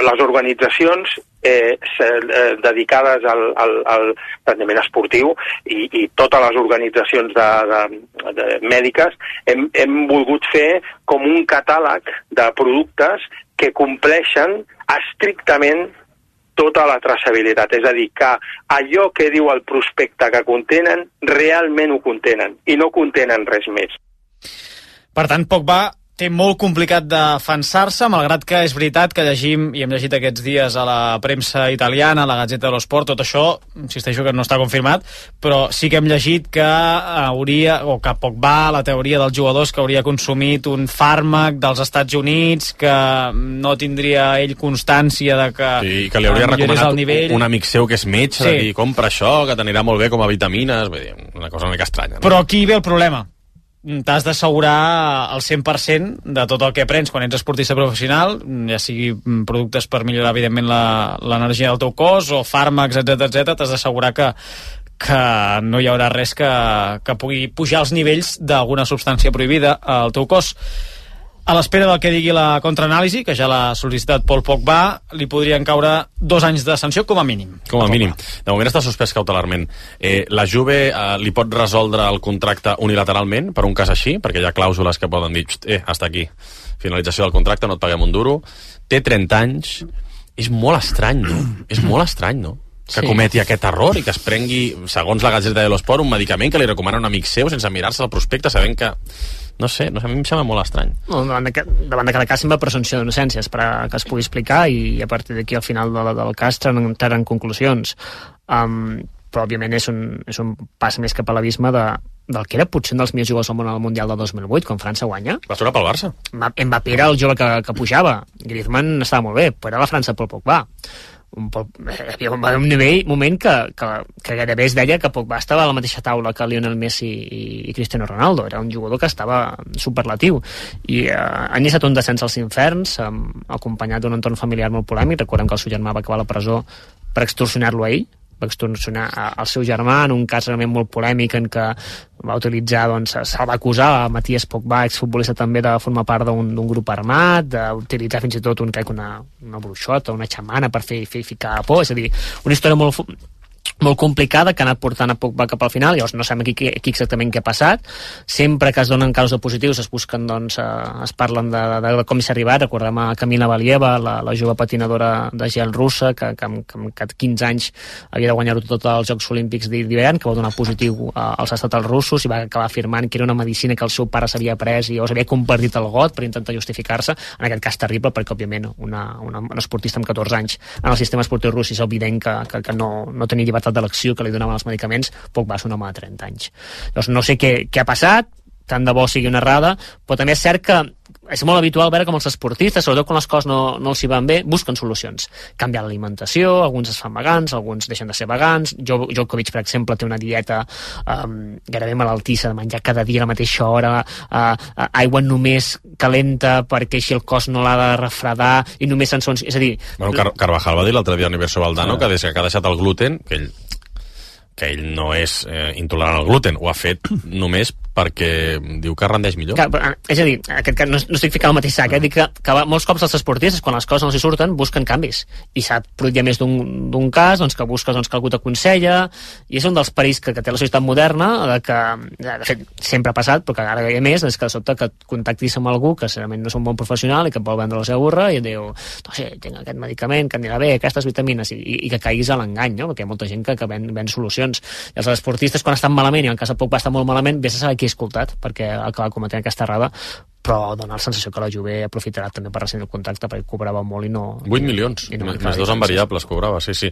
les organitzacions eh, eh, dedicades al, al, al rendiment esportiu i, i totes les organitzacions de, de, de mèdiques hem, hem volgut fer com un catàleg de productes que compleixen estrictament tota la traçabilitat, és a dir, que allò que diu el prospecte que contenen, realment ho contenen, i no contenen res més. Per tant, Pogba té molt complicat defensar-se, malgrat que és veritat que llegim, i hem llegit aquests dies a la premsa italiana, a la Gazzetta dello Sport, tot això, insisteixo que no està confirmat, però sí que hem llegit que hauria, o que Pogba, la teoria dels jugadors, que hauria consumit un fàrmac dels Estats Units, que no tindria ell constància de que, sí, que li hauria recomanat el nivell. Un amic seu que és metge, sí. de dir, compra això, que t'anirà molt bé com a vitamines, vull dir, una cosa una mica estranya. No? Però aquí ve el problema. T'has d'assegurar el cent per cent de tot el que prens quan ets esportista professional, ja sigui productes per millorar, evidentment, l'energia del teu cos o fàrmacs, etcètera, etcètera. T'has d'assegurar que, que no hi haurà res que, que pugui pujar els nivells d'alguna substància prohibida al teu cos. A l'espera del que digui la contraanàlisi, que ja l'ha sol·licitat Paul Pogba, li podrien caure dos anys de sanció com a mínim. Com a mínim. De moment està suspès cautelarment. Eh, la Juve eh, li pot resoldre el contracte unilateralment per un cas així, perquè hi ha clàusules que poden dir eh, hasta aquí, finalització del contracte, no et paguem un duro. Té trenta anys. És molt estrany, no? És molt estrany, no? Que sí. Cometi aquest error i que es prengui, segons la Gazzetta dello Sport, un medicament que li recomana un amic seu sense mirar-se el prospecte, sabent que... No sé, no sé, a mi em sembla molt estrany. No, davant, de, davant de cada cas sempre presumpció d'innocència, esperar que es pugui explicar i a partir d'aquí al final de, del cas treuen conclusions. Um, però òbviament és un, és un pas més cap a l'abisme de, del que era potser un dels millors jugadors del món al Mundial del dos mil vuit, quan França guanya. Va tornar pel Barça. Mbappé era el jove que, que pujava, Griezmann estava molt bé, però era la França pel Pogba. Un poc, hi havia un nivell, moment que, que, que gairebé es deia que Pogba estava a la mateixa taula que Lionel Messi i, i Cristiano Ronaldo. Era un jugador que estava superlatiu i eh, ha iniciat un descens als inferns, eh, acompanyat d'un entorn familiar molt polèmic. Recordem que el seu germà va acabar a la presó per extorsionar-lo a ell, va extorsionar el seu germà en un cas realment molt polèmic en què va utilitzar, doncs, se'l va acusar a Matías Pogba, exfutbolista també, de formar part d'un grup armat, d'utilitzar fins i tot un, crec, una, una bruixota, una xamana per fer, fer ficar por, és a dir, una història molt molt complicada que ha anat portant a Pogba cap al final. Llavors no sabem aquí, aquí exactament què ha passat. Sempre que es donen casos positius es busquen, doncs, eh, es parlen de, de, de com s'ha arribat. Recordem a Kamila Valieva, la, la jove patinadora de gel russa, que, que, que, que quinze anys havia de guanyar-ho tot als Jocs Olímpics d'hivern, que va donar positiu als estatals russos i va acabar afirmant que era una medicina que el seu pare s'havia pres i llavors havia compartit el got per intentar justificar-se. En aquest cas terrible, perquè òbviament una, una, una esportista amb catorze anys en el sistema esportiu rus és evident que, que, que no, no tenia llibertat d'elecció que li donaven els medicaments. Pogba és un home de trenta anys. Llavors no sé què, què ha passat, tant de bo sigui una errada, però també és cert que és molt habitual veure com els esportistes, sobretot quan les coses no, no els hi van bé, busquen solucions. Canviar l'alimentació, alguns es fan vegans, alguns deixen de ser vegans. Jo, Djokovic, per exemple, té una dieta um, gairebé malaltissa, de menjar cada dia a la mateixa hora, uh, uh, aigua només calenta perquè així el cos no l'ha de refredar, i només en sons... És a dir... Bueno, Car Carvajal va dir l'altre dia a Universo Valdano que des que ha deixat el gluten, que ell que ell no és eh, intolerant al gluten, ho ha fet només perquè diu que rendeix millor. Que, és a dir, aquest, que no, no estic ficant el mateix sac, eh? Dic que, que molts cops els esportistes, quan les coses no s'hi surten, busquen canvis. I s'ha produït ja més d'un cas, doncs, que busques doncs, que algú t'aconsella, i és un dels perills que, que té la societat moderna, de que, de fet, sempre ha passat, però que ara hi ha més, és que de sobte que contactis amb algú que segurament no és un bon professional i que et vol vendre la seva burra i et diu, no sé, tinc aquest medicament que anirà bé, aquestes vitamines, i, i, i que caiguis a l'engany, no? Perquè hi ha molta gent que, que ven, ven solucions. I els esportistes, quan estan malament, i en cas de poc va estar molt malament, vés a saber qui ha escoltat, perquè acaba cometent aquesta errada, però dona la sensació que la Juve aprofitarà també per rescindir el contracte, perquè cobrava molt i no... vuit milions, i no més dos en variables cobrava, sí, sí.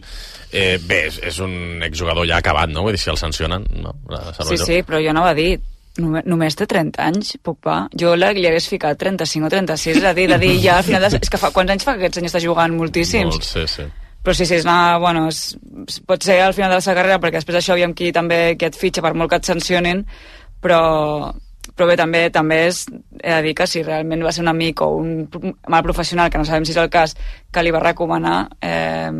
Eh, bé, és, és un exjugador ja acabat, no? Vull dir, si el sancionen, no? Sí, sí, però jo anava a dir, només, només té trenta anys, Pogba. Jo li hagués ficat trenta-cinc o trenta-sis, és a dir, de dir ja al final... De... És que fa, quants anys fa que aquest senyor està jugant? Moltíssims. Molt, sí, sí. Però sí, sí, és una, bueno, és, pot ser al final de la seva carrera, perquè després això aviam qui també qui et fitxa per molt que et sancionin, però, però bé, també també és, he de dir que si realment va ser un amic o un mal professional, que no sabem si és el cas, que li va recomanar, eh,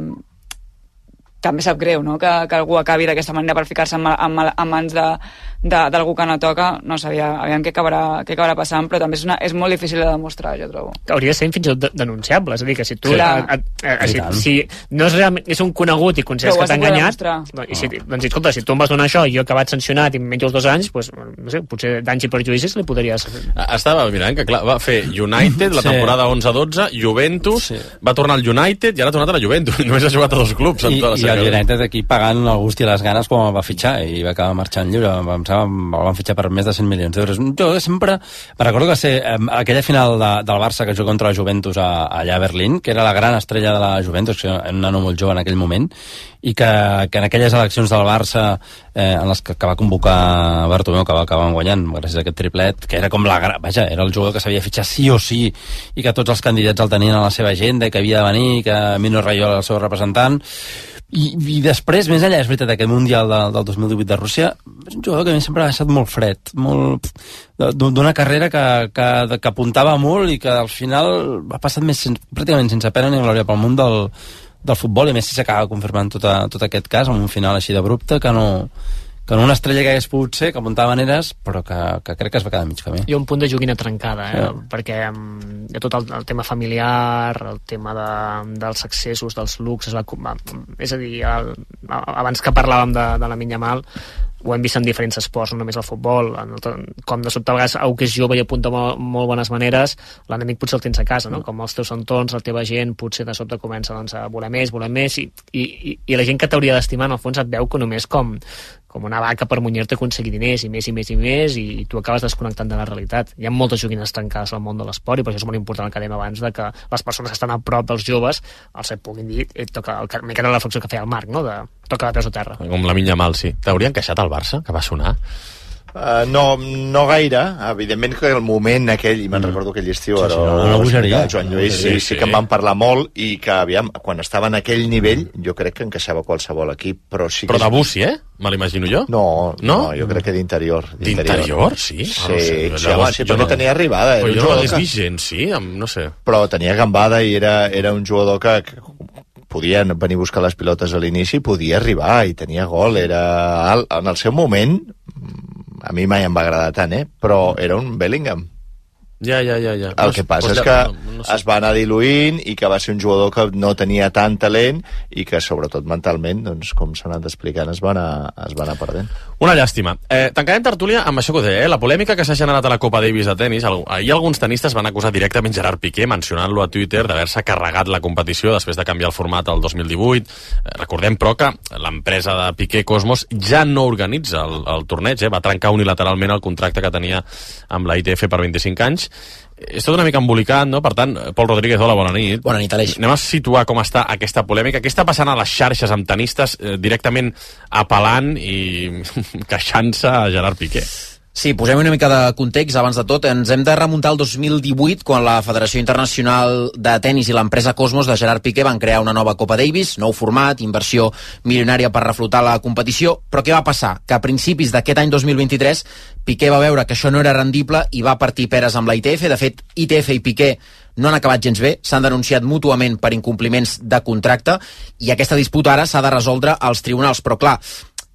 també sap greu, no?, que, que algú acabi d'aquesta manera per ficar-se en, en, en mans d'algú que no toca. No sabia, aviam què acabarà, què acabarà passant, però també és, una, és molt difícil de demostrar, jo trobo. Hauria de ser fins i tot denunciable, és a dir, que si tu... Sí. A, a, a, a, si, si no és, realment, és un conegut i considers que t'ha enganyat, i si, doncs, escolta, si tu em vas donar això i jo he acabat sancionat i menys els dos anys, doncs, no sé, potser danys i perjudicis li podries... Estava mirant que, clar, va fer United la temporada sí. onze dotze, Juventus, sí. va tornar al United i ara ha tornat a la Juventus. Només ha jugat a dos clubs en I, tota la i el United aquí pagant el gust i les ganes quan el va fitxar i va acabar marxant lliure. Em sembla, el van fitxar per més de cent milions d'euros. Jo sempre... Me recordo que va ser eh, aquella final de, del Barça que juga contra la Juventus a, allà a Berlín, que era la gran estrella de la Juventus, que era un nano molt jove en aquell moment, i que, que en aquelles eleccions del Barça eh, en les que, que va convocar Bartomeu, que va acabar guanyant gràcies a aquest triplet, que era com la... Vaja, era el jugador que s'havia fitxat sí o sí i que tots els candidats el tenien a la seva agenda i que havia de venir, que Mino Raiola era el seu representant. I, i després, més enllà, és veritat, aquest Mundial de, del dos mil divuit de Rússia és un jugador que a mi sempre ha estat molt fred, molt d'una carrera que, que, que apuntava molt i que al final ha passat més sen, pràcticament sense pena ni glòria pel món del, del futbol, i a més si s'acaba confirmant tot, a, tot aquest cas amb un final així d'abrupte que no... que no una estrella que hagués pogut ser, que apuntava maneres, però que, que crec que es va quedar mig camí. Hi ha un punt de joguina trencada, eh? Sí. Perquè um, hi ha tot el, el tema familiar, el tema de, dels accessos, dels luxes, va, va, és a dir, el, abans que parlàvem de, de la Yamal, ho hem vist en diferents esports, no només el futbol, en el, com de sobte a vegades algú que és jove i apunta molt, molt bones maneres, l'enemic potser el tens a casa, no? Com els teus entorns, la teva gent potser de sobte comença doncs, a voler més, voler més, i, i, i la gent que t'hauria d'estimar en el fons et veu que només com, com una vaca per munyir-te aconseguir diners i més i més i més, i tu acabes desconnectant de la realitat. Hi ha moltes joguines tancades al món de l'esport, i per això és molt important el que dèiem abans, de que les persones que estan a prop dels joves els et puguin dir, et toca, el, mica de la reflexió que feia el Marc, no? De toca de peus a terra. Com la Yamal, sí. T'haurien queixat al Barça, que va sonar? Uh, no, no gaire. Evidentment que el moment aquell, i me'n mm. recordo aquell estiu, sí, sí, no, no bogeria. Joan Lluís, sí, sí, sí que en van parlar molt, i que, aviam, quan estava en aquell nivell, jo crec que encaixava qualsevol equip, però sí que... Però de Bussi, eh? Me l'imagino jo? No, no, no, jo crec que d'interior. D'interior, sí? Sí, ah, no sé, sí, home, sí, però no tenia arribada. Però jo no l'he vist gens, sí? No sé. Però tenia gambada i era, era un jugador que... que podia venir a buscar les pilotes a l'inici, podia arribar i tenia gol, era alt. En el seu moment, a mi mai em va agradar tant, eh? Però era un Bellingham. Ja, ja, ja, ja. El que passa és que no, no sé. es va anar diluint i que va ser un jugador que no tenia tant talent i que, sobretot mentalment, doncs, com s'ha anat explicant, es va anar, es va anar perdent. Una llàstima. Eh, tancarem tertúlia amb això que ho deia, eh? La polèmica que s'ha generat a la Copa Davis de tenis. Ahir alguns tenistes van acusar directament Gerard Piqué, mencionant-lo a Twitter, d'haver-se carregat la competició després de canviar el format al dos mil divuit. Eh, recordem, però, que l'empresa de Piqué, Cosmos, ja no organitza el, el torneig, eh? Va trencar unilateralment el contracte que tenia amb la I T F per vint-i-cinc anys. És tot una mica embolicat, no? Per tant, Pol Rodríguez, hola, bona nit. Bona nit, Aleix. Anem a situar com està aquesta polèmica. Què està passant a les xarxes amb tenistes eh, directament apel·lant i queixant-se a Gerard Piqué? Sí, posem una mica de context abans de tot. Ens hem de remuntar al dos mil divuit, quan la Federació Internacional de Tenis i l'empresa Cosmos de Gerard Piqué van crear una nova Copa Davis, nou format, inversió milionària per reflotar la competició. Però què va passar? Que a principis d'aquest any dos mil vint-i-tres Piqué va veure que això no era rendible i va partir peres amb la I T F. De fet, I T F i Piqué no han acabat gens bé, s'han denunciat mútuament per incompliments de contracte i aquesta disputa ara s'ha de resoldre als tribunals. Però clar,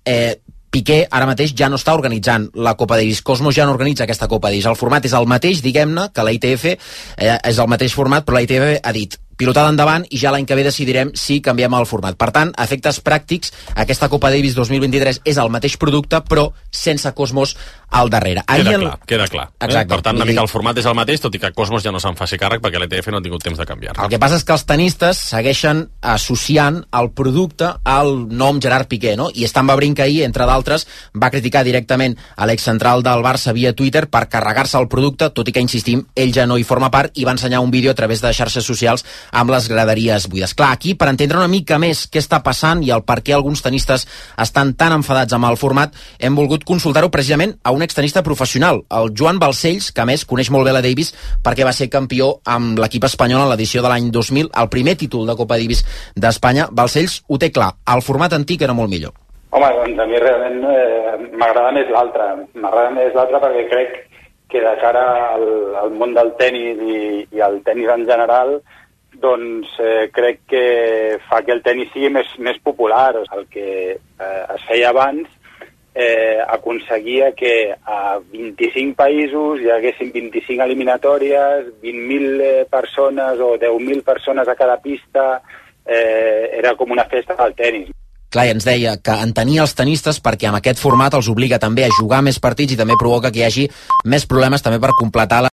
eh, Piqué ara mateix ja no està organitzant la Copa Davis. Cosmos ja no organitza aquesta Copa Davis. El format és el mateix, diguem-ne, que la I T F, eh, és el mateix format, però la I T F ha dit pilotada endavant i ja l'any que ve decidirem si canviem el format. Per tant, a efectes pràctics, aquesta Copa Davis dos mil vint-i-tres és el mateix producte, però sense Cosmos al darrere. Ahir queda el... clar, queda clar. Exacte. Eh? Per tant, una mica el format és el mateix, tot i que Cosmos ja no se'n faci càrrec perquè l'E T F no ha tingut temps de canviar. El que passa és que els tenistes segueixen associant el producte al nom Gerard Piqué, no? I Stan Wawrinka ahir, entre d'altres, va criticar directament a l'excentral del Barça via Twitter per carregar-se el producte, tot i que, insistim, ell ja no hi forma part i va ensenyar un vídeo a través de xarxes socials amb les graderies buides. Clar, aquí, per entendre una mica més què està passant i el per què alguns tenistes estan tan enfadats amb el format, hem volgut consultar-ho precisament a un extenista professional, el Joan Balcells, que a més coneix molt bé la Davis perquè va ser campió amb l'equip espanyol en l'edició de l'any dos mil, el primer títol de Copa Davis d'Espanya. Balcells ho té clar, el format antic era molt millor. Home, doncs a mi realment eh, m'agrada més l'altre. M'agrada més l'altre perquè crec que de cara al, al món del tenis i, i al tenis en general, doncs eh, crec que fa que el tenis sigui més, més popular. El que eh, es feia abans eh, aconseguia que a vint-i-cinc països hi haguessin vint-i-cinc eliminatòries, vint mil eh, persones o deu mil persones a cada pista, eh, era com una festa del tenis. Clar, ens deia que entenia els tenistes perquè amb aquest format els obliga també a jugar més partits i també provoca que hi hagi més problemes també per completar la